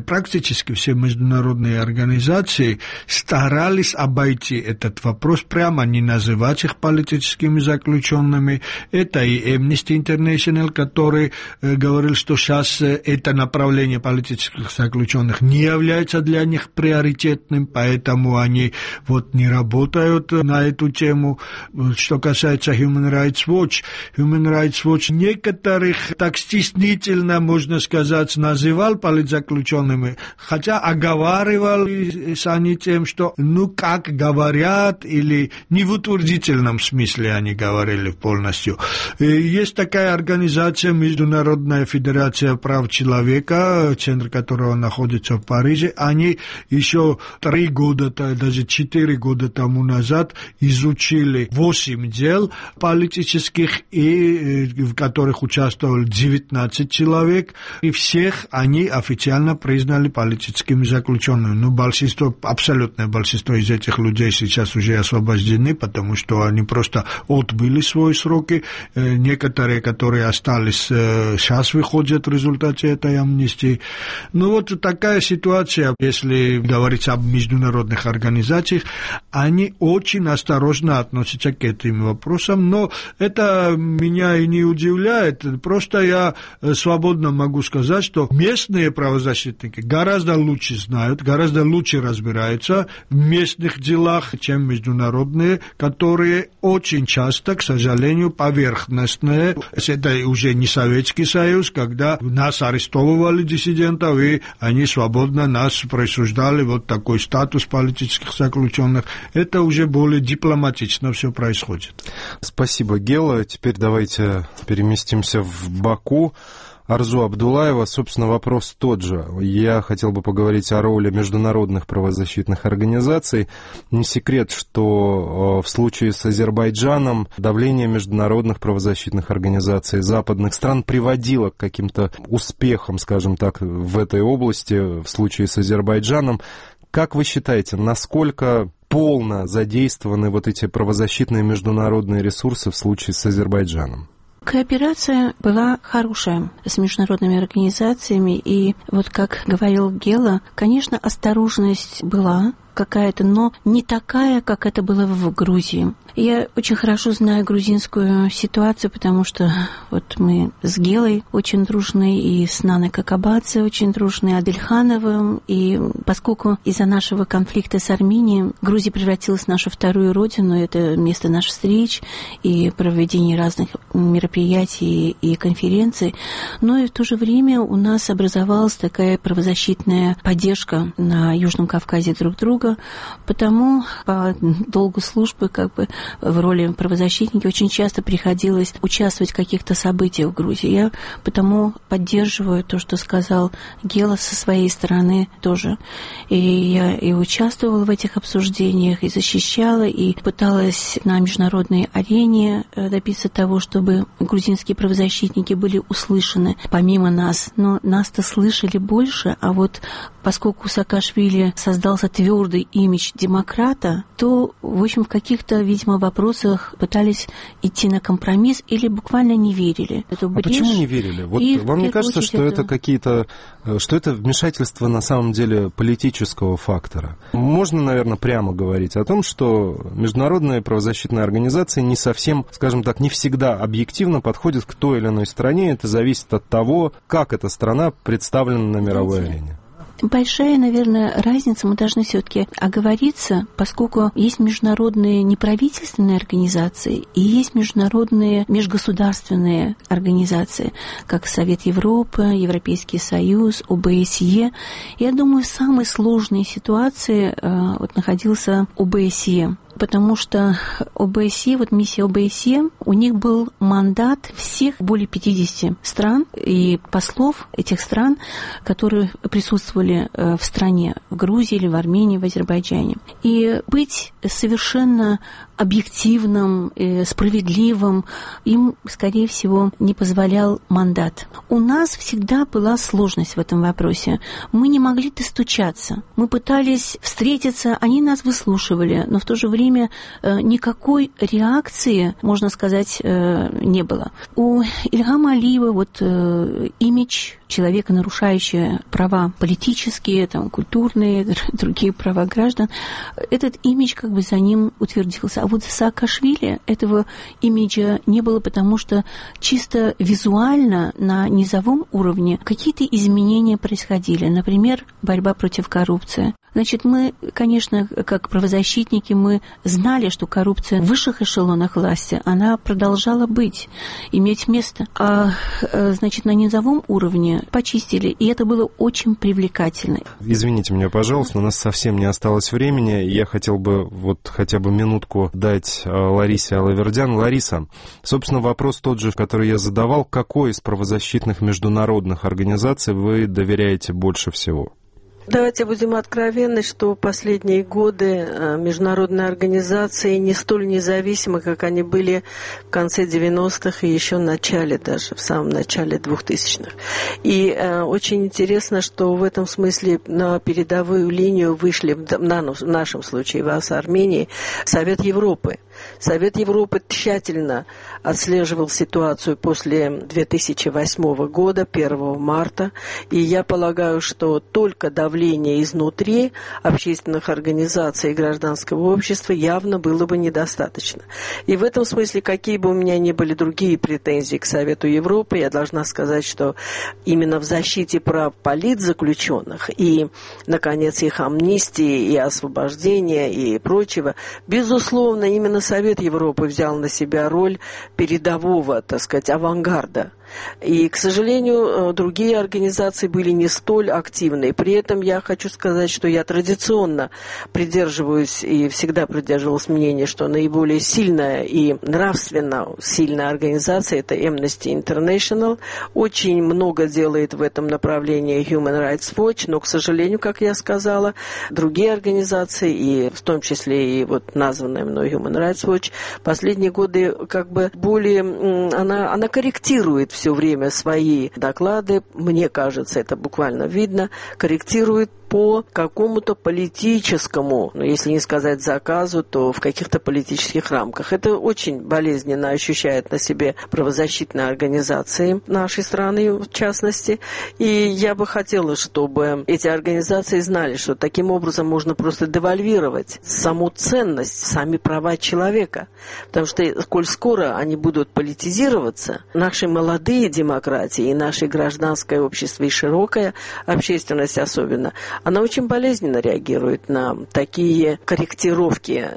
Speaker 22: практически все международные организации старались обойти этот вопрос, прямо не называть их политическими заключенными. Это и Amnesty International, который говорил, что сейчас это направление политических заключенных не является для них приоритетным, поэтому они вот не работают на эту тему. Что касается Human Rights Watch некоторых так стеснительно, можно сказать, называл политзаключенными, хотя оговаривал они тем, что как говорят, или не в утвердительном смысле они говорили полностью. Есть такая организация, Международная федерация прав человека, центр которого находится в Париже, они еще 3 года, даже 4 года тому назад изучили 8 дел политических, и в которых участвовали 19 человек, и всех они официально признали политическими заключенными. Абсолютное большинство из этих людей сейчас уже освобождены, потому что они просто отбыли свои сроки. Некоторые, которые остались, сейчас выходят в результате этой амнистии. Вот такая ситуация. Если говорить об международных организациях, они очень осторожно относятся к этим вопросам, но это меня и не удивляет. Просто я свободно могу сказать, что местные правозащитники гораздо лучше знают, гораздо лучше разбираются в местных делах, чем международные, которые очень часто, к сожалению, поверхностные. Это уже не Советский Союз, когда нас арестовывали, диссидентов, и они свободно нас присуждали вот такой статус политических заключенных. Это уже более дипломатично все происходит.
Speaker 20: Спасибо, Гела. Теперь давайте переместимся в Баку. Арзу Абдулаева, собственно, вопрос тот же. Я хотел бы поговорить о роли международных правозащитных организаций. Не секрет, что в случае с Азербайджаном давление международных правозащитных организаций западных стран приводило к каким-то успехам, скажем так, в этой области, в случае с Азербайджаном. Как вы считаете, насколько полно задействованы вот эти правозащитные международные ресурсы в случае с Азербайджаном?
Speaker 21: Кооперация была хорошая с международными организациями, и вот как говорил Гела, конечно, осторожность была какая-то, но не такая, как это было в Грузии. Я очень хорошо знаю грузинскую ситуацию, потому что вот мы с Гелой очень дружны, и с Наной Какабадзе очень дружны, Адельхановым, и поскольку из-за нашего конфликта с Арменией Грузия превратилась в нашу вторую родину, это место наших встреч и проведения разных мероприятий и конференций, но и в то же время у нас образовалась такая правозащитная поддержка на Южном Кавказе друг друга, потому по долгу службы в роли правозащитника очень часто приходилось участвовать в каких-то событиях в Грузии. Я потому поддерживаю то, что сказал Гела со своей стороны тоже. И я и участвовала в этих обсуждениях, и защищала, и пыталась на международной арене добиться того, чтобы грузинские правозащитники были услышаны помимо нас. Но нас-то слышали больше, а вот поскольку Саакашвили создался твердый имидж демократа, то, в общем, в каких-то, видимо, вопросах пытались идти на компромисс или буквально не верили.
Speaker 20: Почему не верили? Вот вам не кажется, что это какие-то, что это вмешательство на самом деле политического фактора? Можно, наверное, прямо говорить о том, что международные правозащитные организации не совсем, скажем так, не всегда объективно подходят к той или иной стране. Это зависит от того, как эта страна представлена на мировой арене.
Speaker 21: большая, наверное, разница. Мы должны все-таки оговориться, поскольку есть международные неправительственные организации и есть международные межгосударственные организации, как Совет Европы, Европейский Союз, ОБСЕ. Я думаю, в самой сложной ситуации находился ОБСЕ. Потому что ОБСЕ, миссия ОБСЕ, у них был мандат всех более 50 стран и послов этих стран, которые присутствовали в стране, в Грузии или в Армении, в Азербайджане. И быть совершенно объективным, справедливым им, скорее всего, не позволял мандат. У нас всегда была сложность в этом вопросе. Мы не могли достучаться. Мы пытались встретиться, они нас выслушивали, но в то же время никакой реакции, можно сказать, не было. У Ильгама Алиева имидж человека, нарушающего права политические, культурные, другие права граждан, этот имидж за ним утвердился. А в Саакашвили этого имиджа не было, потому что чисто визуально на низовом уровне какие-то изменения происходили. Например, борьба против коррупции. Значит, мы, конечно, как правозащитники, мы знали, что коррупция в высших эшелонах власти, она продолжала иметь место. А, значит, на низовом уровне почистили, и это было очень привлекательно.
Speaker 20: Извините меня, пожалуйста, у нас совсем не осталось времени. Я хотел бы хотя бы минутку дать Ларисе Алавердян. Лариса, собственно, вопрос тот же, который я задавал. Какой из правозащитных международных организаций вы доверяете больше всего?
Speaker 3: Давайте будем откровенны, что последние годы международные организации не столь независимы, как они были в конце 90-х и еще в самом начале 2000-х. И очень интересно, что в этом смысле на передовую линию вышли, в нашем случае, в Армении, Совет Европы. Совет Европы тщательно отслеживал ситуацию после 2008 года, 1 марта, и я полагаю, что только давление изнутри общественных организаций и гражданского общества явно было бы недостаточно. И в этом смысле, какие бы у меня ни были другие претензии к Совету Европы, я должна сказать, что именно в защите прав политзаключенных и, наконец, их амнистии и освобождения и прочего, безусловно, именно Совет Европы взял на себя роль передового, авангарда. И, к сожалению, другие организации были не столь активны. При этом я хочу сказать, что я традиционно придерживаюсь и всегда придерживалась мнения, что наиболее сильная и нравственно сильная организация – это Amnesty International. Очень много делает в этом направлении Human Rights Watch, но, к сожалению, как я сказала, другие организации, и в том числе и названная мной Human Rights Watch, последние годы более она корректирует все время свои доклады, мне кажется, это буквально видно, корректирует по какому-то политическому, если не сказать заказу, то в каких-то политических рамках. Это очень болезненно ощущает на себе правозащитные организации нашей страны, в частности. И я бы хотела, чтобы эти организации знали, что таким образом можно просто девальвировать саму ценность, сами права человека. Потому что, коль скоро они будут политизироваться, наши молодые демократии и наше гражданское общество, и широкая общественность особенно, она очень болезненно реагирует на такие корректировки,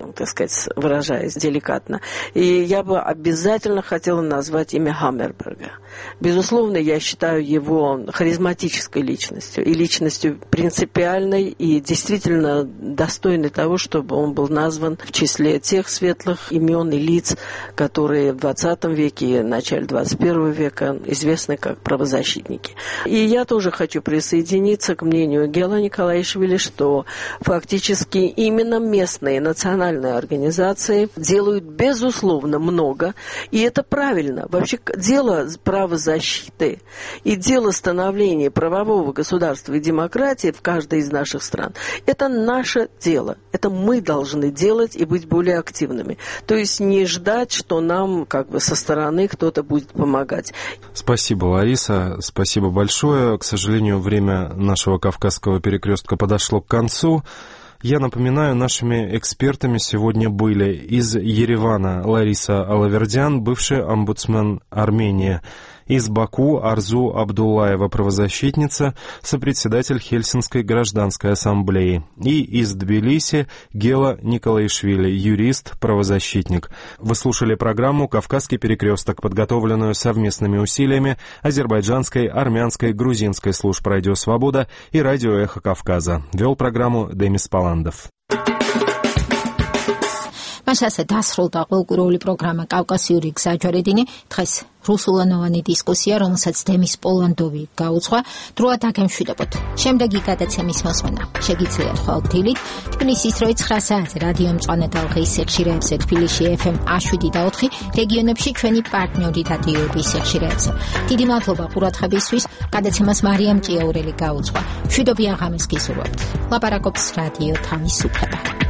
Speaker 3: выражаясь деликатно. И я бы обязательно хотела назвать имя Хаммерберга. Безусловно, я считаю его харизматической личностью и личностью принципиальной и действительно достойной того, чтобы он был назван в числе тех светлых имен и лиц, которые в 20 веке и начале 21 века известны как правозащитники. И я тоже хочу присоединиться к мнению Гела Николаишвили, что фактически именно местные национальные организации делают безусловно много, и это правильно. Вообще дело правозащиты и дело становления правового государства и демократии в каждой из наших стран – это наше дело. Это мы должны делать и быть более активными. То есть не ждать, что нам со стороны кто-то будет помогать.
Speaker 20: Спасибо, Лариса. Спасибо большое. К сожалению, время нашего Кавказского перекрестка подошло к концу. Я напоминаю, нашими экспертами сегодня были из Еревана Лариса Алавердян, бывший омбудсмен Армении, Из Баку Арзу Абдуллаева, правозащитница, сопредседатель Хельсинской гражданской ассамблеи. И из Тбилиси Гела Николаишвили, юрист, правозащитник. Вы слушали программу «Кавказский перекресток», подготовленную совместными усилиями азербайджанской, армянской, грузинской служб «Радио Свобода» и «Радио Эхо Кавказа». Вел программу Демис Паландов.
Speaker 1: მას ასე დასრულდა ყოველკვირეული პროგრამა კავკასიური გზაჯვარედინი. დღეს რუსულენოვანი დისკუსია, რომელსაც დემის პოლანდოვი გაუძღვა. დროა დაგემშვიდობოთ. შემდეგი გადაცემის მოსმენა შეგიძლიათ ხოლმე დილით თბილისის 9 საათზე რადიო მწვანე ტალღის სიხშირეებზე, თბილისში FM 107.4, რეგიონებში ჩვენი პარტნიორი რადიოების სიხშირეებზე. დიდი მადლობა ყურადღებისთვის. გადაცემას მარიამ ჭიაურელი გაუძღვა. მშვიდობიან ღამეს გისურვებთ. ლაპარაკობს რადიო თავისუფლება.